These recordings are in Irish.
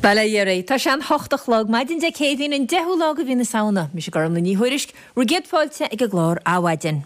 Bail ó Dhia oraibh. Tá sé an hocht a chlog, maidin Dé Céadaoin, an 10ú lá de mhí na Samhna. Mise Gormlaith Ní Thuairisg, bhur gcéad fáilte ag an gclár Adhmhaidin.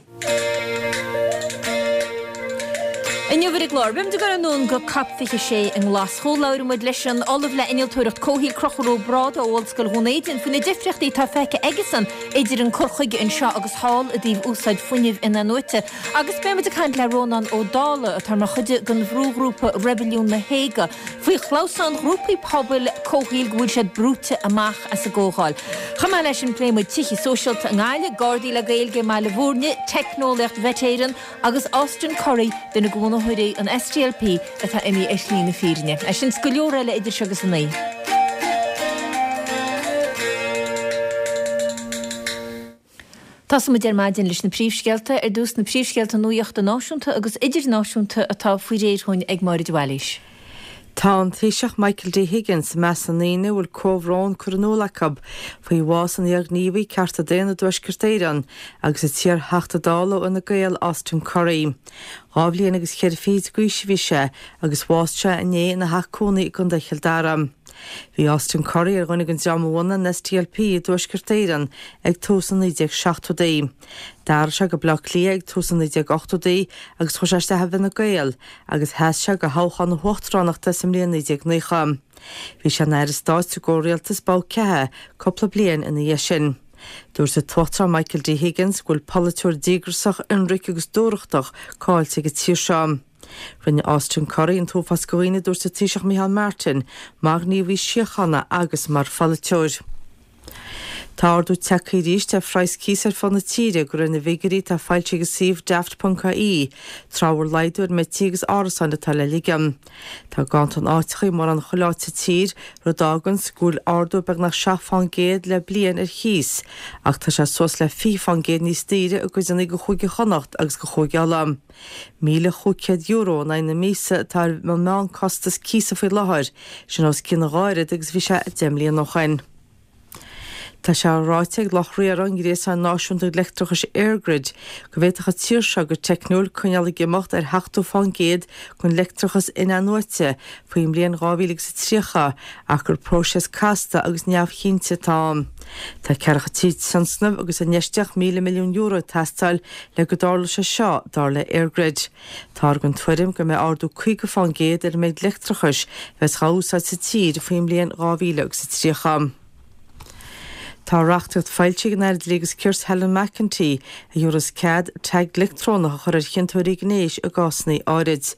Inniu ar an gclár, beimid ag dul anonn go Cop 26 i nGlaschú. Labhróidh muid leis an Ollamh le Innealtóireacht Comhshaoil Conchúr Ó Brádaigh ó Ollscoil Dhún Éideann faoi na difríochtaí atá feicthe aigesan idir an cur chuige anseo agus thall i dtaobh úsáid fuinnimh in-athnuaite. Agus beidh muid ag caint le Rónán Ó Dálaigh, atá mar chuid den bhrúghrúpa Reibiliún na hÉige, faoi chlamhsán ghrúpaí pobail comhshaoil go bhfuil siad brúite amach as an gcomhdháil. Chomh maith leis sin pléifidh muid tithe sóisialta i nGaillimh, Gardaí le Gaeilge i mBaile Bhúirne, teicneolaíocht Mhet Éireann agus Austin Currie, duine de bhunaitheoirí an SDLP atá imithe ar shlí na fírinne. É sin 's go leor eile idir seo agus a naoi. Tosóidh muid ar maidin leis na príomhscéalta. Ar dtús, na príomhscéalta nuachta náisiúnta agus idirnáisiúnta atá faoi réir dhúinn ag Máire de Bhailís. Tá an Taoiseach Michael D Higgins i measc na ndaoine a bhfuil comhbhrón curtha in iúl acu faoi bhás an iarghníomhaí cearta daonna i dTuaisceart Éireann agus an t-iar-Theachta Dála ó Fhine Gael Austin Currie. Dhá bhliain agus cheithre fichid d'aois a bhí sé agus bhásaigh sé inné ina theach cónaí i gContae Chill Dara. Bhí Austin Currie ar dhuine den dream a bhunaigh an SDLP i dTuaisceart Éireann ag tús na 1970idí. D'athraigh sé go Baile Átha Cliath ag tús na 1980idí agus chuaigh sé isteach i bhFine Gael agus sheas sé do thoghchán na huachtaránachta sa mbliain 1990. Bhí sé ina Aire Stáit sa gcomhrialtas Bob Kehoe cúpla bliain ina dhiaidh sin. Dúirt an tUachtarán Michael D Higgins go bhfuil polaiteoir díograsach, ionraic agus dúthrachtach caillte ag an tír seo. Rinne Austin Currie an t-uafás de dhaoine, a dúirt an Taoiseach Micheál Martin, mar ghníomhaí síochána agus mar pholaiteoir. Tá ardú tagtha arís ar phraghas cíosa ar fud na tíre, de réir na bhfigiúirí atá foilsithe ag an suíomh Daft.ie, tráth a bhfuil laghdú ar an méid tithe agus árasáin atá le ligean. Tá ganntan áiteacha i mórán chuile áit sa tír, rud a fháganns go bhfuil ardú beagnach 7 fán gcéad le bliain ar chíos, ach tá sé suas le 20 fán gcéad níos daoire i gcuideanna de Chúige Chonnacht agus de Chúige Uladh. €1,500 in aghaidh na míosa atá ar an meánchostas cíosa faoi láthair, sin os cionn a dhá oiread agus a bhí sé 10 mbliana ó shin. Tá sé ráite ag lucht riartha an ghréasáin náisiúnta leictreachais EirGrid go bhféadfadh an tír seo go teicniúil coinneáil ag imeacht ar sheachtó fán gcéad den leictreachas in-athnuaite faoin mbliain 2030 ach gur próiseas casta agus neamhchinnte atá ann. Tá ceathracha trí tionscnamh agus infheistíocht €1,000 milliún ag teastáil le go dtarlódh sé seo, dar le EirGrid. Táthar den tuairim go mbeidh ardú 50 fán gcéad ar an méid leictreachais a bheas dhá úsáid sa tír faoin mbliain 2030. Tá reachtaíocht foilsithe ag an Aire Dlí agus Cirt Helen McEntee a thabharfas cead tag leictreonach a chur ar chiontóirí gnéis i gcásanna áirid.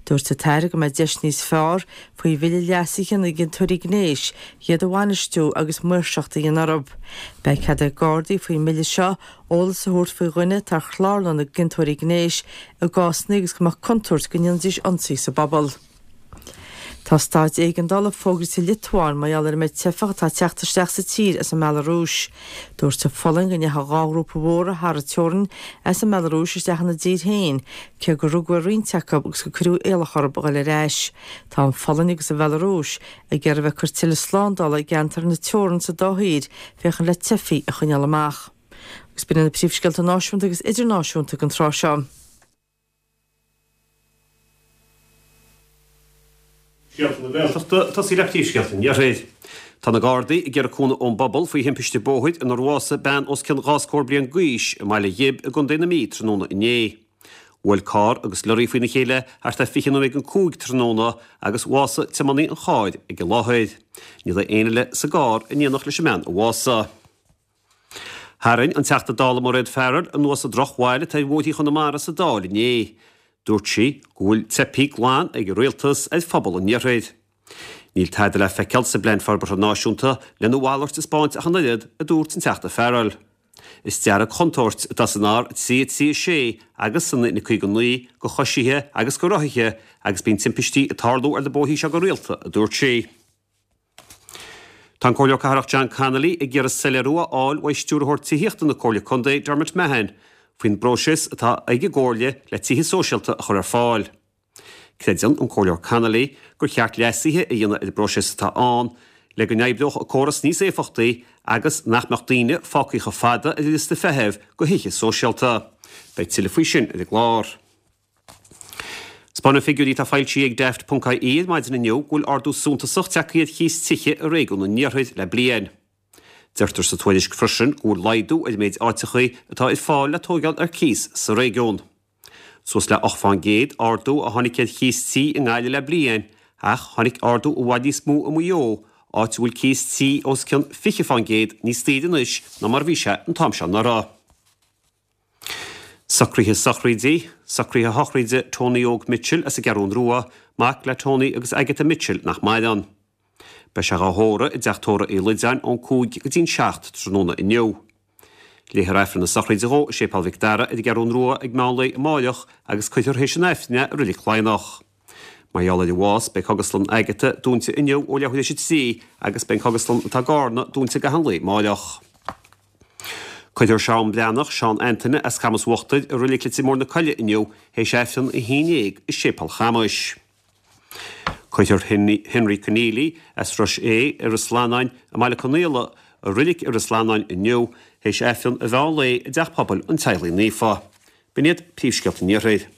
Dúirt an tAire go mbeidh deis níos fearr faoi bhille leasaithe na gciontóirí gnéis iad a bhainistiú agus maoirseacht a dhéanamh orthu. Beidh cead ag Gardaí faoin mbille seo eolas a thabhairt faoi dhuine atá ar chlárlann na gciontóirí gnéis i gcásanna agus go mbeadh contúirt go ndéanfaidís ionsaí sa bpobal. Tá staid éigeandála fógraithe sa Liotuáin mar gheall ar an méid teifeach atá ag teacht isteach sa tír as an mBealarúis. Dúirt an Pholainn go ndeachaigh dhá ghrúpa mhóra thar an teorainn as an mBealarúis isteach ina dtír féin, cé gur rugadh ar roinnt acu agus gur cuireadh iallach orthu a dhul ar ais. Tá an Pholainn agus an Bhealarúis ag iarraidh a bheith ag cur tuilleadh slándála i gceantar na teorann sa dá thír féachaint le teifigh a choinneáil amach. Agus b'in iad na príomhscéalta náisiúnta agus idirnáisiúnta don tráth seo. Scéalta na Gaeltachta, tosaí le príomhscéalta an Iarthair. Tá na Gardaí ag iarraidh cúnamh ón bpobal faoi thimpiste bóthair inar bhásaigh bean os cionn dhá scór bliain d'aois i mBaile Ghib i gContae na Mí tráthnóna inné. Bhuail carr agus lorraí faoina chéile thart ar 20 nóiméad don 5 tráthnóna agus bhásaigh tiománaí an chairr ag an láthair. Ní raibh éinne eile sa gcarr in éineacht leis an mbean a bhásaigh. Tharraing an Teachta Dála Mairéad Farrell anuas an drochbhail atá ar bhóithrí Chonamara sa Dáil inné. Dúirt sí go bhfuil teipthe glan ag an Rialtas ar phobal an Iarthair. Níl tada le feiceáil sa bPlean Forbartha Náisiúnta lena mhalairt a 'spáint ach an oiread, a dúirt an Teachta Farrell. Is dearg-chontúirt atá san R336 agus san N59 do choisithe agus do rothaithe agus bíonn timpistí ag tarlú ar na bóithrí seo go rialta, a dúirt sí. Tá an Comhairleoir Cathrach John Connolly ag iarraidh soiléiriú a fháil uaidh Stiúrthóir Tithíochta na Comhairle Contae, Dermot Mahon, faoin bpróiseas atá ag an gComhairle le tithe sóisialta a chur ar fáil. Creideann an Comhairleoir Connolly gur cheart leasuithe a dhéanamh ar an bpróiseas atá ann le go n-oibreodh an córas níos éifeachtaí agus nach mbeadh daoine fágtha chomh fada ar an liosta feithimh do thithe sóisialta. Beidh tuilleadh faoi sin ar an gclár. Spáineann figiúirí atá foilsithe ag Daft ponc ie ar maidin inniu go bhfuil ardú suntasach tagtha ar chíos tithe i réigiún an Iarthair le bliain. Deirtear sa tuairisc freisin go bhfuil laghdú ar an méid áiteachaí atá ar fáil le tóigeáil ar cíos sa réigiún. Suas le 8 fán gcéad ardú a tháinig ar chíos tí i nGaillimh le bliain ach tháinig ardú i bhfad níos mó i Maigh Eo, áit a bhfuil cíos tí os cionn 20 fán gcéad níos daoire anois ná mar a bhí sé an t-am seo anuraidh. Socruithe sochraide, Socruithe sochraide Tony Óg Mitchell as an gCeathrún Rua, mac le Tony agus Agatha Mitchell nach maireann. Beidh sé dhá thórramh i dTeach Tórraimh Uí Loideáin ón 5 go dtí'n 7 tráthnóna inniu. Léifear Aifreann na sochraide dhó i Séipéal Mhic Dara ar an gCeathrún Rua ag meán lae amáireach agus cuirfear théis an Aifrinn é i Reilig Laighneach. Mar gheall ar a bhás, beidh Cógaslann Agatha dúnta inniu ó leathuair théis a 3 agus beidh an cógaslann atá i gCarna dúnta i gcaitheamh an lae amáireach. Cuirfear Seán Breathnach, Seán Antaine as Camas Uachtair i Reilig Leitir Móir na Coille inniu théis Aifreann a 11 i Séipéal Chamais. Cuirfear Henry Conneely as Ros É i Ros Lannáin i mBaile Conaola i Reilig i Ros Lannáin inniu théis Aifreann a mheán lae i dTeach Pobail an Teaghlaigh Naofa. B'in iad príomhscéalta an Iarthair.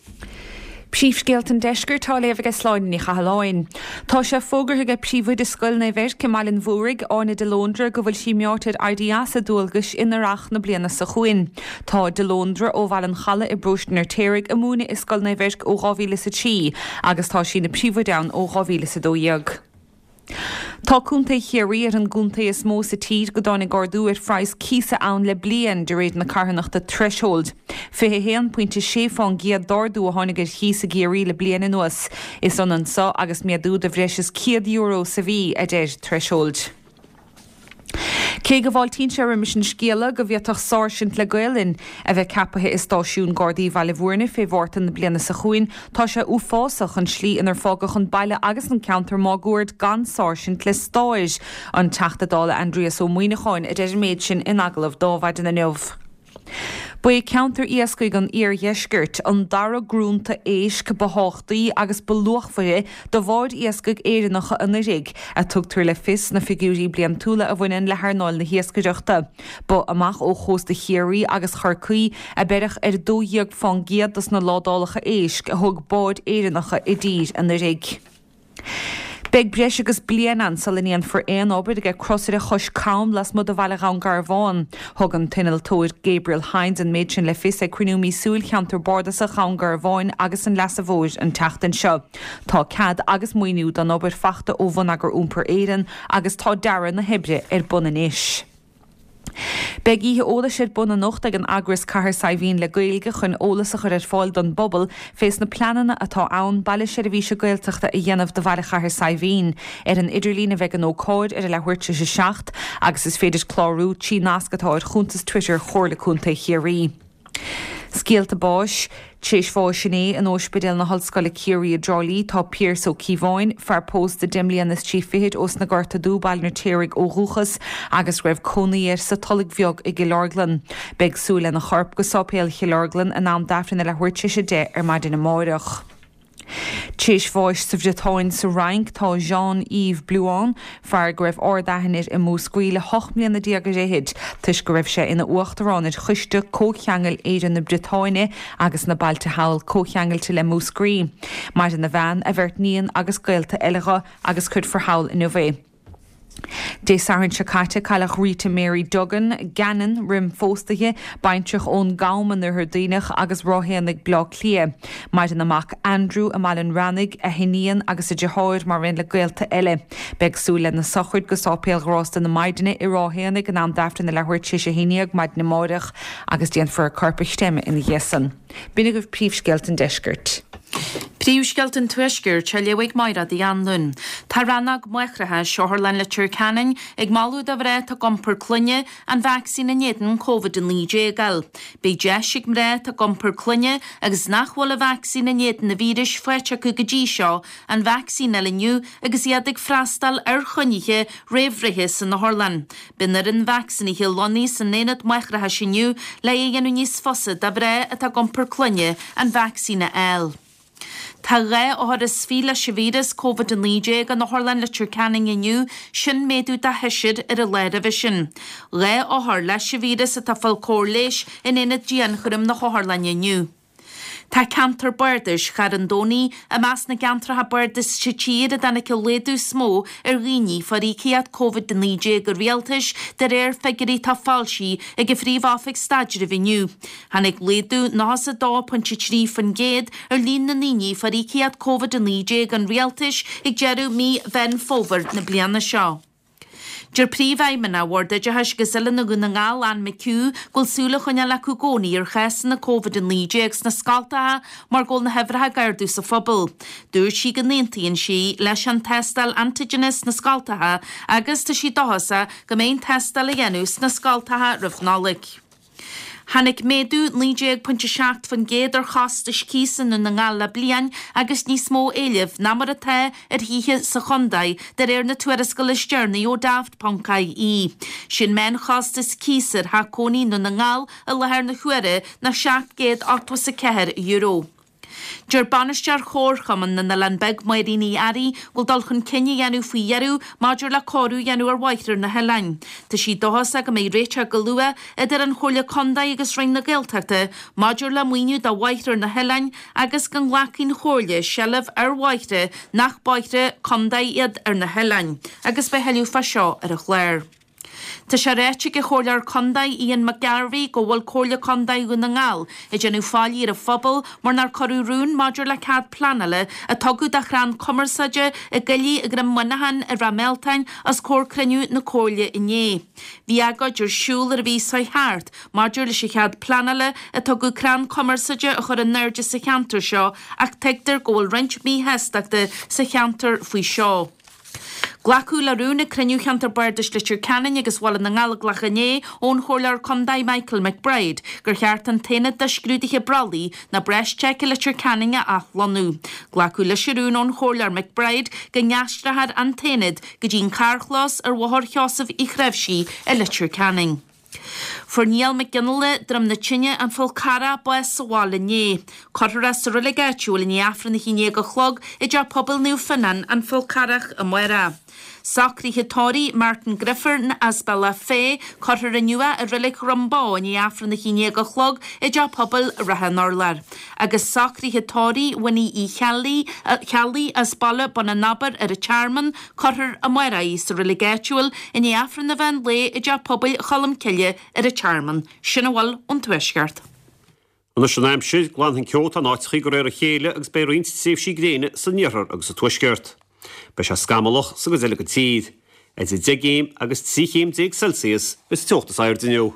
Príomhscéalta an Deiscirt á léamh aige Sláine Ní Chathalláin. Tá sé fógartha aige Príomhoide Scoil Naomh Eirc i mBaile an Mhúraigh, Áine de Lóndra, go bhfuil sí meáite ar éirí as a dualgais in earrach na bliana seo chugainn. Tá de Lóndra, ó Bhaile an Chalaidh i bparóiste an Fheirtéaraigh, ag múineadh i Scoil Naomh Eirc ó 2003 agus tá sí ina príomhoide ann ó 2012. Tá Contae Chiarraí ar an gcontae is mó sa tír go dtáinig ardú ar phraghas cíosa ann le bliain, de réir na carthanachta Threshold. 21 pointe 6 fán gcéad d'ardú a tháinig ar chíos i gCiarraí le bliain anuas. Is ionann so agus méadú de bhreis is €100 sa mhí, a deir Threshold. Cé go bhfáiltíonn sé roimis an scéala go bhféadfadh sáirsint le Gaolainn a bheith ceapaithe i stáisiún Gardaí Bhaile Bhúirne fé Mhárta na bliana seo chugainn, tá sé uafásach an tslí inar fágadh an baile agus an ceantar máguaird gan sáirsint le stáir. An Teachta Dála Aindrias Ó Muíneacháin a deir an méid sin in agallamh d'Adhmhaidin inniu. Ba é ceantar iascaigh an iardheiscirt an dara grúnta éisc ba thábhachtaí agus ba luachmhaire do bháid iascaigh Éireannacha anuraidh, a tugtar le fios sna figiúirí bliantúla a bhaineann le hearnáil na hiascaireachta. Ba amach ó chósta Chiarraí agus Chorcaí a beireadh ar 12 fán gcéad dos na ládálacha éisc a thug báid Éireannacha i dtír anuraidh. Beidh breis agus bliain ann sula ndéanfar aon obair ag crosaire Chois Cam lasmuigh de bhaile Dhún Garbhán. Thug an t-innealtóir Gabriel Hynes an méid sin le fios ag cruinniú míosúil Cheantar Bardasach Dhún Garbháin agus an Leasa Mhóir an tseachtain seo. Tá cead agus maoiniú don obair fachta ó Bhonneagar Iompair Éireann agus tá dearadh na hoibre ar bun anois. Beidh oíche eolais ar bun anocht ag an eagras Cathair Saidhbhín le Gaeilge chun eolas a chur ar fáil don bpobal fés na pleananna atá ann baile seirbhíse Gaeltachta a dhéanamh de bhaile Chathair Saidhbhín. Ar an idirlíon a bheidh an ócáid ar a leathuair tar éis a 7 agus is féidir clárú trí nasc atá ar chuntas Twitter Chomhairle Contae Chiarraí. Scéalta báis. Tréis bháis inné in Óispidéal na hOllscoile Ciarraí i dTrá Lí tá Pearse Ó Cíobháin, fear pósta deich mbliana is trí fichid ós na Gorta Dubh, Baile an Fheirtéaraigh ó dhúchas agus raibh cónaí air sa Tulaigh Bheag i gCill Orglan. Beidh súil lena chorp go Sáipéal Chill Orglan in am d'Aifreann a leathuair tar éis 10 ar maidin amáireach. Tréis bháis sa Bhriotáin sa Fhrainc tá Jean-Yves Blouin, fear go raibh ard-aithne air i Múscraí le hocht mbliana déag ar fhichid, toisc go raibh sé ina uachtarán ar Choiste Comhcheangail Éire na Briotáine agus na bailte thall comhcheangailte le Múscraí. Maireann a bhean, a bheirt níon agus gaolta eile dho agus cuirfear thall inniu é. Dé Sathairn seo caite, cailleadh Rita Mary Duggan, Gannon, roim phósta di, baintreach ón gCam in Oirthear Duibhneach agus Ráth Éanaigh, Bleá Cliath. Maireann a mac Andrew i mBaile an Reannaigh, a hiníon agus a deartháir mar aon le gaolta eile. Beidh súil lena sochraid go Sáipéal Ghrásta na Maighdine i Ráth Éanaigh in am d'Aifreann a leathuair tar éis a haon dhéag maidin amáireach agus déanfar a corp a chreimeadh ina dhiaidh san. B'in agaibh príomhscéalta an deiscirt. Príomhscéalta an Tuaiscirt á léamh ag Máire Uí Anluain. Tá rannóg máithreachais Otharlann Leitir Ceanainn ag moladh do mhná atá ag iompar clainne an vacsaín in éadan Covid-19 a fháil. Beidh deis ag mná atá ag iompar clainne agus nach bhfuil an vacsaín in éadan an víris faighte acu go dtí seo an vacsaín a fháil inniu agus iad ag freastal ar choinnithe réamhbhreithe san otharlann. Beidh an fhoireann vacsaínithe lonnaithe san aonad máithreachais inniu le é a dhéanamh níos fusa do mhná atá ag iompar clainne an vacsaín a fháil. Tá 22 othar leis an víreas Covid-19 in Otharlann Leitir Ceanainn inniu, sin méadú de sheisear ar an lá roimhe sin. 2 othar leis an víreas atá ag fáil cóir leighis in aonad dianchúraim na hotharlainne inniu. Tá ceantar bardais Charn Domhnaigh i measc na gceantracha bardais sa tír a dtáinig an laghdú is mó ar dhaoine fuair íocaíocht Covid-19 an rialtais de réir figiúirí atá foilsithe ag an Phríomh-Oifig Staidrimh inniu. Tháinig laghdú 92.3% ar líon na ndaoine a fuair íocaíocht Covid-19 an rialtais ag deireadh mí Mheán Fómhair na bliana seo. Deir Príomhfheidhmeannach Bhord Oideachais agus Oiliúna Dhún na nGall, Anne McHugh, go bhfuil súil á choinneáil acu i gcónaí ar chásanna Covid-19 sna scoltacha mar go bhfuil na huimhreacha ag ardú sa phobal. Dúirt sí go n-aontaíonn sí leis an tástáil antaigine sna scoltacha agus tá sí dóchasach go mbeidh an tástáil á dhéanamh sna scoltacha roimh Nollaig. Tháinig méadú 19.7% ar chostais cíosa i nDún na nGall le bliain agus níos mó éilimh ná mar atá ar thithe sa chontae, de réir na tuarascála is deireanaí ó Daft.ie. Sé'n meánchostas cíosa ar theach cónaí i nDún na nGall i láthair na huaire ná €784. Deir bainisteoir Chomharchumann na nOileán Beag, Máirín Uí Fhearraigh, go bhfuil dul chun cinn á dhéanamh faoi dheireadh maidir le cóiriú a dhéanamh ar bhóithre na hoileáin. Tá sí dóchasach go mbeidh réiteach go luath idir an Chomhairle Contae agus Roinn na Gaeltachta maidir le maoiniú do bhóithre ar na hoileáin agus go nglacfaidh an Chomhairle seilbh ar bhóithre nach bóithre contae iad ar na hoileáin agus beidh thuilleadh fá seo ar an chlár. Tá sé ráite ag an Chomhairleoir Contae Ian McGarvey go bhfuil Comhairle Contae Dhún na nGall ag déanamh faillí ar an phobal mar nár cuireadh rún maidir le cead pleanála a tugadh do chrann cumarsáide i gcoillidh ag Droim Muineacháin i Ráth Mealtain os comhair cruinniú na Comhairle inné. Bhí agóid ar siúl ar an mhí seo thart maidir leis an chead pleanála a tugadh crann cumarsáide a chur in airde sa cheantar seo ach tuigtear go bhfuil roinnt míshástachta sa cheantar faoi seo. Glacadh le rún ag cruinniú Cheantar Bardais Leitir Ceanainn agus Bhaile na nGallóglach inné ón Chomhairleoir Contae Michael McBride gur cheart an tAonad do Scrúduithe Brollaigh nó Breastcheck i Leitir Ceanainn a athlonnú. Glacadh leis an rún ón Chomhairleoir McBride go n-aistreofar an t-aonad go dtí an carrchlós ar Bhóthar Sheosaimh Uí Chnáimhsí i Leitir Ceanainn. Fuair Niall Mac Fhionnghaile, Droim na Tine, An Fál Carrach, bás sa bhaile inné. Cuirfear é sa reilig áitiúil i ndiaidh Aifreann a 11 a chlog i dTeach Pobail Naomh Fionnán, An Fál Carrach, amárach. Socruithe tórraimh Martin Griffin as Bealach Féich, cuirfear inniu é i reilig Dhroim Bó i ndiaidh Aifreann a 11 a chlog i dTeach Pobail Ráth an Urláir. Agus socruithe tórraimh Winnie Uí Cheallaigh as Baile Bun an Abair ar an Tearmann, Cuirfear amárach í sa reilig áitiúil i ndiaidh Aifreann an mheán lae i dTeach Pobail Cholmcille ar an Tearmann. Sin a bhfuil ón Tuaisceart. Anois an aimsir, glanfaidh an ceo atá in áiteachaí de réir a chéile agus beidh roinnt tréimhsí gréine san iarthar agus sa tuaisceart. Beidh sé scamallach sa gcuid eile den tír. Idir 10 gcéim agus 13 chéim Celsius is teocht is airde inniu.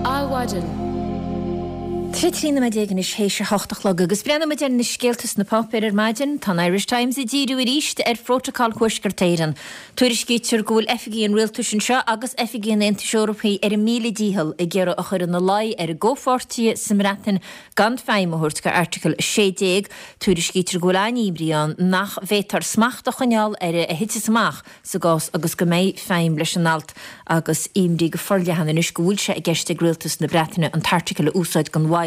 Adhmhaidin. 13 nóiméad anois théis a hocht a chlog agus breathnóidh muid ar na scéalta sna páipéir ar maidin. Tá an Irish Times ag díriú arís ar Phrótacal Thuaisceart Éireann. Tuairiscítear go bhfuil oifigigh an rialtais anseo agus oifigigh an Aontais Eorpaigh ar a míle dícheall ag iarraidh a chur ina luí ar a gcomhpháirtithe sa mBreatain gan feidhm a thabhairt do Airteagal 16. Tuairiscítear go bhfuil an-imní ann nach bhféadfar smacht a choinneáil ar a thitfeas amach sa gcás agus go mbeidh feidhm leis an alt agus imní go forleathan anois go bhfuil sé i gceist ag rialtas na Breataine an t-airteagal a úsáid gan mhoill.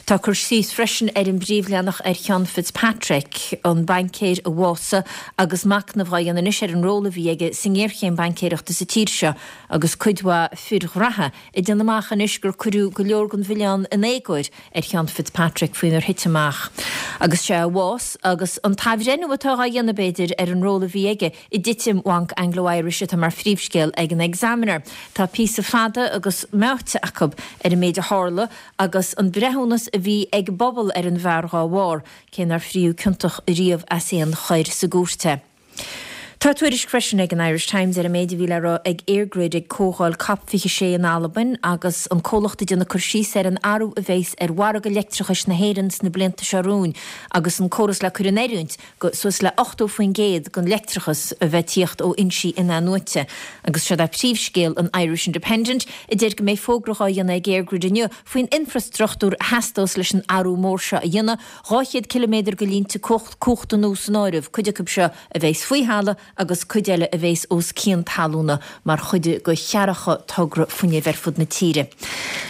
Tá cur síos freisin ar an bpríomhleathanach ar Sheán Fitzpatrick, an baincéir a bhásaigh agus machnamh á dhéanamh anois ar an ról a bhí aige sa ngéarchéim baincéireachta sa tír seo agus cuid mhaith fir ghraithe ag déanamh amach anois gur cuireadh go leor den mhilleán in éagóir ar Sheán Fitzpatrick faoinar thit amach agus sé a bhás agus an t-athbhreithniú atá á dhéanamh, b'fhéidir, ar an ról a bhí aige i dtitim Bhanc Anglo Irish atá mar phríomhscéal ag an Examiner. Tá píosa fada agus meáite acu ar an méid a tharla agus an breithiúnas a bhí ag an bpobal ar an bhfear dhá bharr, cé nár fríodh ciontach riamh as aon choir sa gcúirt é. Tá tuairisc freisin ag an Irish Times ar an méid a bhí le rá ag EirGrid ag comhdháil Cop 26 in Albain agus an comhlacht ag déanamh cur síos ar an athrú a bheas ar mhargadh leictreachais na hÉireann sna blianta seo romhainn agus an córas le cur in oiriúint go suas le 80% den leictreachas a bheith ag tíocht ó fhoinsí in-athnuaite. Agus seod é príomhscéal an Irish Independent a deir go mbeidh fógra dhá dhéanamh ag EirGrid inniu faoin infreastruchtúr a theastós leis an athrú mór seo a dhéanamh, 200 ciliméadar de línte cumhachta nua san áireamh, cuid acu seo a bheas faoi thalamh. agus cuid eile a bhéas os cionn talúna mar chuid de cheathracha togra fuinnimh ar fud na tíre.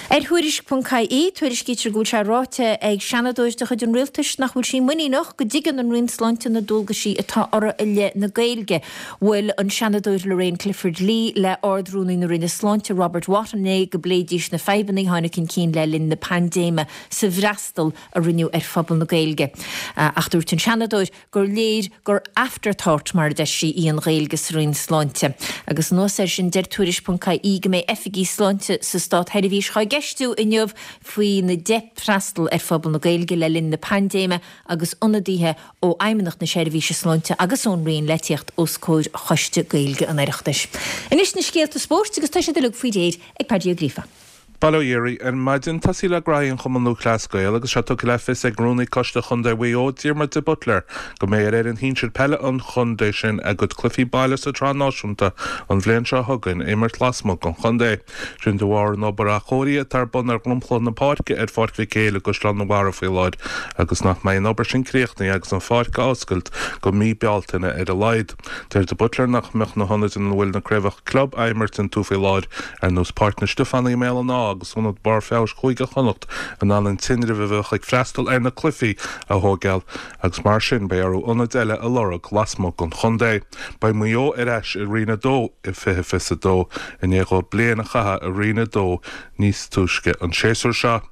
Ar Thuairisc.ie, tuairiscítear go bhfuil sé ráite ag seanadóir de chuid an rialtais nach bhfuil sí muiníneach go dtuigeann an Roinn Sláinte na dualgaisí atá orthu i leith na Gaeilge. Bhuail an Seanadóir Lorraine Clifford-Lee le Ard-Rúnaí na Roinne Sláinte, Robert Watt inné go bpléidís na fadhbanna a tháinig chun cinn le linn na paindéime sa bhfreastal a rinneadh ar phobal na Gaeilge. Ach dúirt an Seanadóir gur léir gur afterthought, mar a deir sí, í an Ghaeilge sa Roinn Sláinte. Agus anuas air sin, deir Tuairisc.ie go mbeidh oifigigh sláinte sa státsheirbhís á gceistiú inniu faoina dteip freastal ar phobal na Gaeilge le linn na paindéime agus ionadaithe ó Fheidhmeannacht na Seirbhíse Sláinte agus ón Roinn le tíocht os comhair Choiste Gaeilge an Oireachtais. Anois na scéalta spóirt agus tá siad uilig faoi réir ag Paddy Ó Gríofa. Bail ó Dhia oraibh. Ar maidin, tosaí le graithí an Chumann Lúthchleas Gael agus sé tugtha le fios ag Rúnaí Coiste Chontae Mhaigh Eo, Diarmuid de Buitléar, go mbeidh ar fhoireann shinsir peile an chontae sin a gcuid cluichí baile sa tsraith náisiúnta an bhliain seo chugainn a imirt lasmuigh den chontae. Sin de bharr an obair athchóirithe atá ar bun ar dhromchla na páirce ar Pháirc Mhic Éil i gCaisleán an Bharraigh faoi láthair agus nach mbeidh an obair sin críochnaithe agus an pháirc á oscailt go mí Bealtaine ar a laghad. Deir de Buitléar nach mbeadh na hionaid ina bhfuil na craobhacha club á imirt iontu faoi láthair, ar nós Páirc na Stiofánaigh i mBéal an Átha agus Ionad Barr Feabhais Chúige Chonnacht, in ann an tinreamh a bheadh ag freastal ar na cluichí a thóigeáil agus mar sin beidh orthu ionaid eile a lorg lasmuigh den chontae. Beidh Maigh Eo ar ais i Roinn 2 i 2022 i ndiaidh dóibh bliain a chaitheamh i Roinn 2 níos túisce an séasúr seo.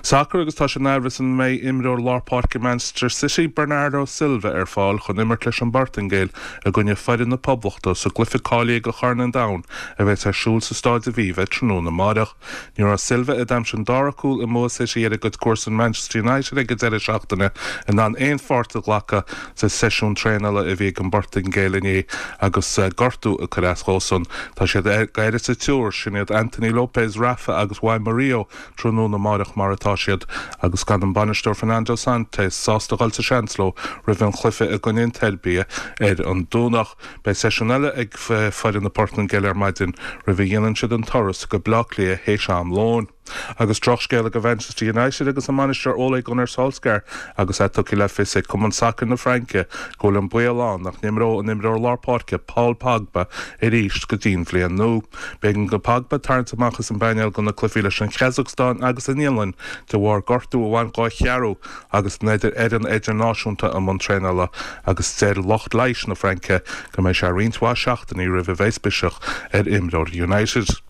Sacar agus tá sé in aimhreas an mbeidh imreoir lár páirce Manchester City, Bernardo Silva ar fáil chun imirt leis an bPortaingéil i gcoinne foireann na Poblachta sa gcluiche cáilithe do Chorn an Domhain a bheas ar siúl sa Stáid Aviva tráthnóna amáireach. Ní raibh Silva, a d'aimsigh an dara cúl i mbua City ar a gcuid comharsan Manchester United ag an deireadh seachtaine, in ann aon pháirt a ghlacadh sa seisiún traenála a bhí ag an bPortaingéil inné agus gortú ag cur as dhósan. Tá siad ag sa triúr, sin iad Anthony Lopes, Rafa agus Juan Murillo, tráthnóna amáireach mar atá siad agus gan an bainisteoir Fernando Santos sásta dhul sa seans leo roimh an chluiche i gcoinne an tSeirbia ar an Domhnach. Beidh seisiún eile ag foireann na Portaingéile ar maidin roimh a dhéanann siad an turas go Baile Átha Cliath théis am lóin. Agus drochscéala do Mhanchester United agus a mbainisteoir Ole Gunnar Solskjaer agus é tugtha le fios ag Cumann Sacair na Fraince go bhfuil an baol ann nach n-imreoidh an imreoir lár páirce Paul Pogba arís go dtí'n bhliain nua. B'éigean do Pogba tarraingt amach as an bpainéal do na cluichí leis an Chasacstáin agus an Fhionlainn de bharr gortú a bhain dhó a cheathrú agus an fhoireann idirnáisiúnta i mbun traenála agus deir lucht leighis na Fraince go mbeidh sé roinnt mhaith seachtainí roimh a bheas biseach ar imreoir United.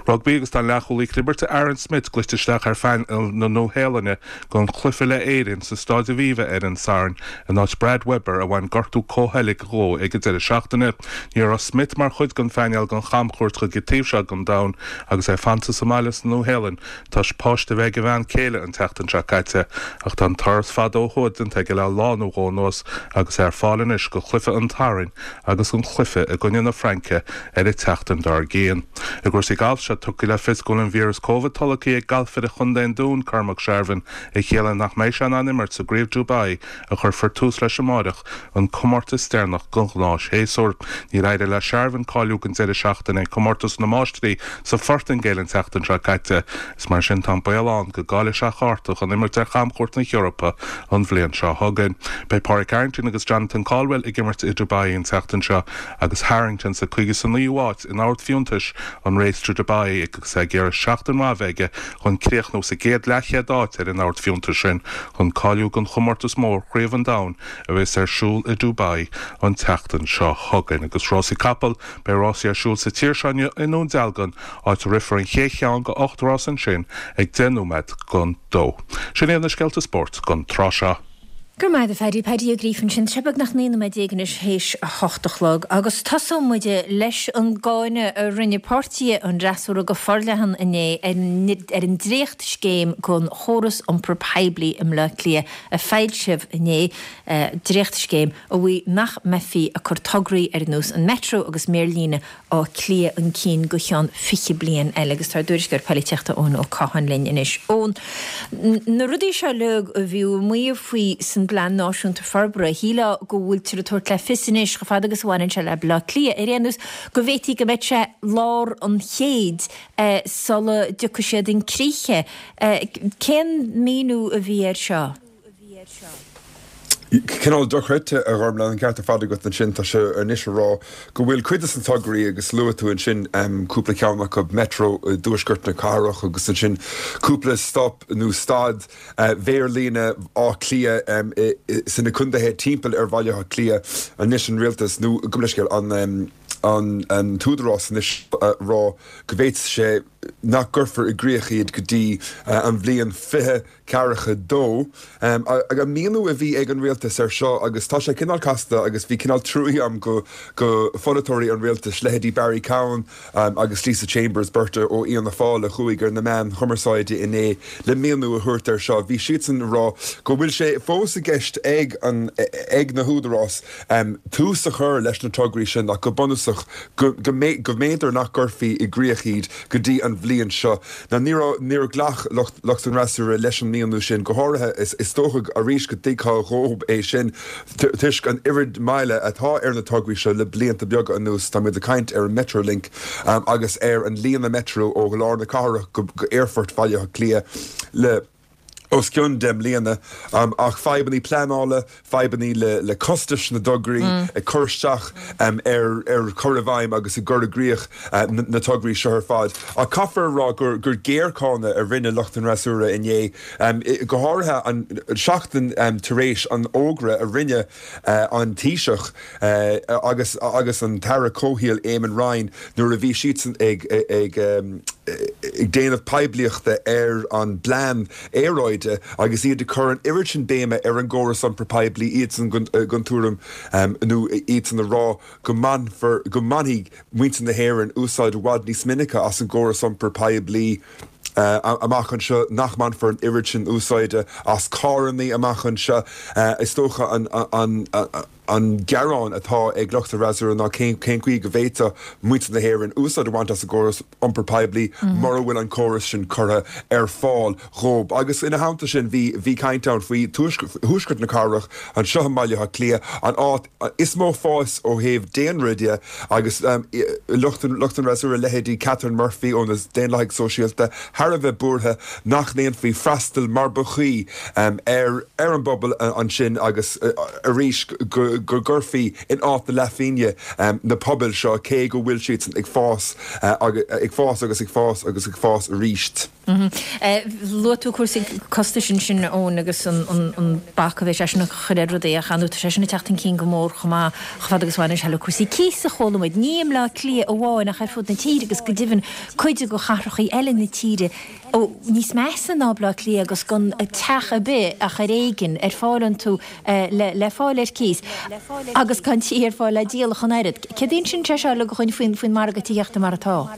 Rugbaí agus tá an leathchúlaí clibirte Aaron Smith glaoite isteach ar phainéal na Nua-Shéalainne don chluiche le Éirinn sa Stáid Aviva ar an Satharn in áit Brad Weber a bhain gortú comhsheilg dhó ag an deireadh seachtaine. Ní raibh Smith mar chuid den phainéal don chamchuairt chuig an taobh seo den domhan agus é fanta sa mbaile sa Nua-Shéalainn toisc páiste a bheith ag a bhean céile an tseachtain seo caite ach tá an turas fada ó thuaidh déanta aige le lá nó dhó anuas agus é ar fáil anois do chluiche an tSathairn agus an cluiche i gcoinne na Fraince ar an tseachtain dár gcionn. I gcúrsaí gailf, sé tugtha le fios go bhfuil an víreas Covid tolgtha ag galfaire chontae an Dúin, Cormac Sharvin, a chiallaíonn nach mbeidh sé in ann imirt sa gCraobh Dubai a chuirfear tús leis amáireach, an comórtas deireanach den ghnáthshéasúr. Níor éirigh le Sharvin cáiliú don deireadh seachtaine ag Comórtas na Máistrí sa Phortaingéil an tseachtain seo caite. Is mar sin tá an baol ann go gcaillfidh sé a chárta chun imirt ar chamchuairt na hEorpa an bhliain seo chugainn. Beidh Pádraig Harrington agus Jonathan Caldwell ag imirt i Dubai an tseachtain seo agus Harrington sa 59ú háit in ord fiúntais an Race to Dubai agus é ag iarraidh seachtain mhaith a bheith aige chun críochnú sa gcéad leathchéad áit ar an ord fiúntais sin chun cáiliú don chomórtas mór Chraobh an Domhain a bheas ar siúl i Dubai an tseachtain seo chugainn. Agus rásaí capall, beidh rásaí ar siúl sa tír seo inniu i nDún Dealgan, áit a rithfear an chéad cheann de 8 rás ansin ag 10 nóiméad don dó. Sin iad na scéalta spóirt don tráth seo. Go raibh maith agat a Phaddy, Paddy Ó Gríofa ansin. Tá sé beagnach 19 nóiméad anois théis a hocht a chlog agus tosóidh muid leis an gcáineadh a rinne páirtithe an fhreasúra go forleathan inné ar an dréachtscéim don chóras iompair poiblí i mBleá Cliath a foilsíodh inné, dréachtscéim a mhaígh nach mbeifí ag cur tograí ar nós an Metro agus Méarlíne Átha Cliath chun cinn go cheann 20 bliain eile agus tá ár dtuairisceoir polaitíochta Eoin Ó Catháin linn anois. Eoin, na rudaí seo uilig a bhíodh ag maíomh faoi san bPlean Náisiúnta Forbartha, shílfeá go bhfuiltear ag tabhairt le fios anois, chomh fada agus a bhaineann sé le Baile Átha Cliath ar aon nós, go bhféadfaí go mbeadh sé lár an chéid sula dtiocfaidh siad chun críche. Cén míniú a bhí air seo? Cineál dochreidte, a Ghormlaith, an ceart ar fad agat ansin. Tá sé anois a rá go bhfuil cuid de na tograí, agus luaigh tú ansin cúpla ceann acu, Metro i dtuaisceart na cathrach agus ansin cúpla stop nó stad mhéarlíne Átha Cliath sna contaetha timpeall ar Bhaile Átha Cliath. Anois an rialtas, nó gabh mo leithscéal, an an t-údarás anois a rá go bhféadfadh sé nach gcuirfear i gcrích iad go dtí an bhliain 20 42. An míniú a bhí ag an rialtas air seo, agus tá sé cineál casta agus bhí cineál truaí agam go go pholaiteoirí an rialtais, leithéidí Barry Cowen agus Lisa Chambers, beirt ó Fhianna Fáil a chuaigh ar na meáin chumarsáide inné le míniú a thabhairt air seo, bhí siadsan ag rá go bhfuil sé fós i gceist ag an ag na húdaráis tús a chur leis na tograí sin ach go bunúsach go go mb'fhéidir nach gcuirfí i gcrích iad go dtí an bhliain seo. Now ní raibh, níor ghlac lucht, lucht an fhreasúra leis an míniú sin, go háirithe, is, is dócha arís go dtuigfeá dhóib é sin toisc an oiread moille atá ar na tograí seo le blianta beaga anuas. Táimid ag caint ar an Metrolink agus ar an líne Metro ó lár na cathrach go, go Aerfort Bhaile Átha Cliath le os cionn 10 mbliana, ach fadhbannaí pleanála, fadhbannaí le costais na dtograí ag cur isteach ar chur i bhfeidhm agus i gcur i gcrích na tograí seo ar fad. Ach caithfear a rá gur géarcháineadh a rinne lucht an fhreasúra inné, go háirithe an seachtain tar éis an fhógra a rinne an Taoiseach agus agus an tAire Comhshaoil Eamon Ryan nuair a bhí siadsan ag ag déanamh poiblíochta ar an bplean aeráide agus iad ag cur an oiread sin béime ar an gcóras iompair poiblí, iadsan den tuairim nó iadsan ag rá go mbainfear go mbainfidh muintir na hÉireann úsáid i bhfad níos minice as an gcóras iompair poiblí amach anseo, nach mbainfear an oiread sin úsáide as carrannaí amach anseo. Is dócha an gearán atá ag lucht an fhreasúra ná cén chaoi go bhféadfadh muintir na hÉireann úsáid a bhaint as an gcóras iompair poiblí mura bhfuil an córas sin curtha ar fáil dhóibh. Agus ina theannta sin bhí caint ann faoi thuaisceart na cathrach, anseo i mBaile Átha Cliath, an áit is mó fás ó thaobh daonra de agus lucht an fhreasúra, leithéidí Catherine Murphy ó na Daonlathaigh Sóisialta, thar a bheith buartha nach ndéanfaí freastal mar ba chuí ar ar an bpobal ansin agus arís go gcuirfí in áit na leathphingne na pobail seo cé go bhfuil siadsan ag fás ag fás agus ag fás agus ag fás arís. Luaigh tú cúrsaí costais ansin, Eoin, agus an bac a bheidh sé sin a chur ar rudaí ach ar ndóigh tá sé sin ag teacht chun cinn go mór chomh maith chomh fada agus a bhaineann sé le cúrsaí cíosa a chuala muid, ní i mBleá Cliath amháin ach ar fud na tíre agus go deimhin cuid de chathrachaí eile na tíre níos measa ná Bleá Cliath agus gan teach ar bith ach ar éigean ar fáil iontu le fáil ar cíos agus gan tithe ar fáil le díol ach an oiread. Céard a insíonn sé seo uilig dhúinn faoin margadh tithíochta mar atá?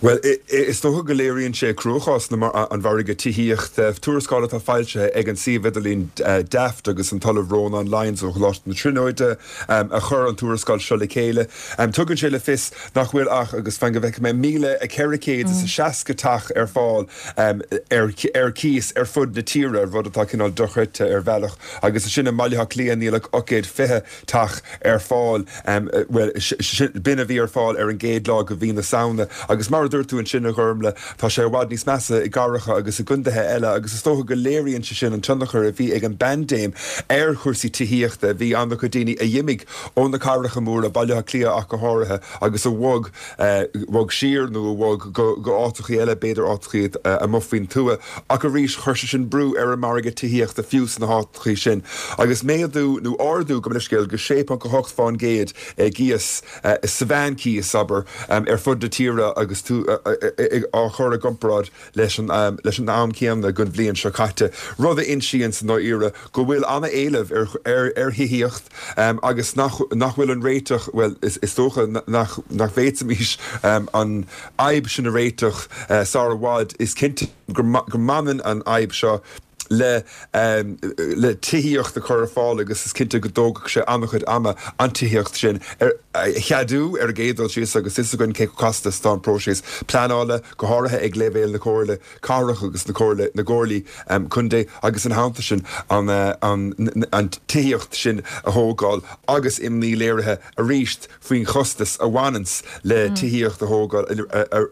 Bhuel, is dócha go léiríonn sé cruachás an mhargaidh tithíochta. Tuarascáil atá foilsithe ag an suíomh idirlín Daft agus an tOllamh Rónán Lyons ó Choláiste na Tríonóide a chuir an tuarascáil seo le chéile. Tugann sé le fios nach bhfuil ach, agus fan go bhfeicfidh mé, 1,460 teach ar fáil ar cíos ar fud na tíre, rud atá cineál dochreidte ar bhealach, agus ansin i mBaile Átha Cliath níl ach 820 teach ar fáil, bhuel, b'in a bhí ar fáil ar an gcéad lá de mhí na Samhna. Agus mar a dúirt tú ansin, a Ghormlaith, tá sé i bhfad níos measa i gcathracha agus i gcontaetha eile agus is dócha go léiríonn sé sin an tionchar a bhí ag an bpaindéim ar chúrsaí tithíochta. Bhí an-chuid daoine a d'imigh ó na cathracha móra, Baile Átha Cliath ach go háirithe, agus a bhog, bhog siar nó a bhog go áiteachaí eile, b'fhéidir áiteachaí amuigh faoin tuath. Ach arís, chuir sé sin brú ar an margadh tithíochta fiú sna háiteachaí sin. Agus méadú, nó ardú, gabh mo leithscéal, go 6.8 fán gcéad i gcíos, sa mheánchíos, abair, ar fud na tíre agus tú á chur i gcomparáid leis an leis an am céanna den bhliain seo caite, rud a insíonn sa ndáiríre go bhfuil an-éileamh ar ar ar thithíocht agus nach nach bhfuil an réiteach, bhuel, is is dócha nach nach bhféadfaimis an fhadhb sin a réiteach sar i bhfad. Is cinnte go go mbaineann an fhadhb seo le le tithíocht a chur ar fáil agus is cinnte go dtógfadh sé an-chuid ama an tithíocht sin a cheadú ar an gcéad dul síos agus is againn cé chomh casta is atá an próiseas pleanála, go háirithe ag leibhéal na Comhairle Cathrach agus na Comhairle, na gComhairlí Contae agus ina theannta sin an an tithíocht sin a thógáil agus imní léirithe arís faoin chostas a bhaineanns le tithíocht a thógáil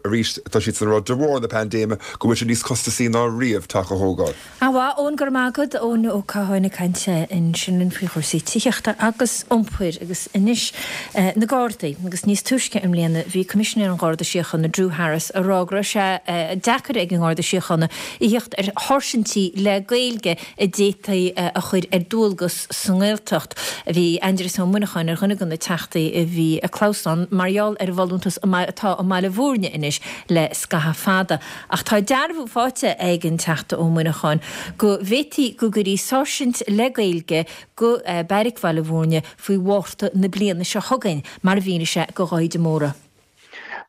arís. Tá siadsan ag rá de bharr na paindéime go bhfuil sé níos costasaí ná riamh teach a thógáil. Ana-mhaith. Ana-mhaith, Eoin, go raibh maith agat. Eoin Ó Catháin ag caint ansin linn faoi chúrsaí tithíochta agus iompair. Agus anois, na Gardaí. Agus níos túisce i mbliana bhí Coimisinéir an Gharda Síochána, Drew Harris, ag rá go raibh sé deacair ag an nGarda Síochána a thíocht ar sháirsintí le Gaeilge a d'fhéadfaí a chur ar dualgas sa nGaeltacht. Bhí Aindrias Ó Muineacháin ar dhuine de na Teachtaí a bhí ag clamhsán mar gheall ar an bhfolúntas atá i mBaile Bhúirne anois le scaitheamh fada. Ach tá dearbhú faighte ag an Teachta Ó Muineacháin go bhféadfaí go gcuirfí sáirsint le Gaeilge go Beairic Bhaile Bhúirne faoi Mhárta na bliana seo chugainn, mar a mhínigh sé do Dháithí de Mórdha.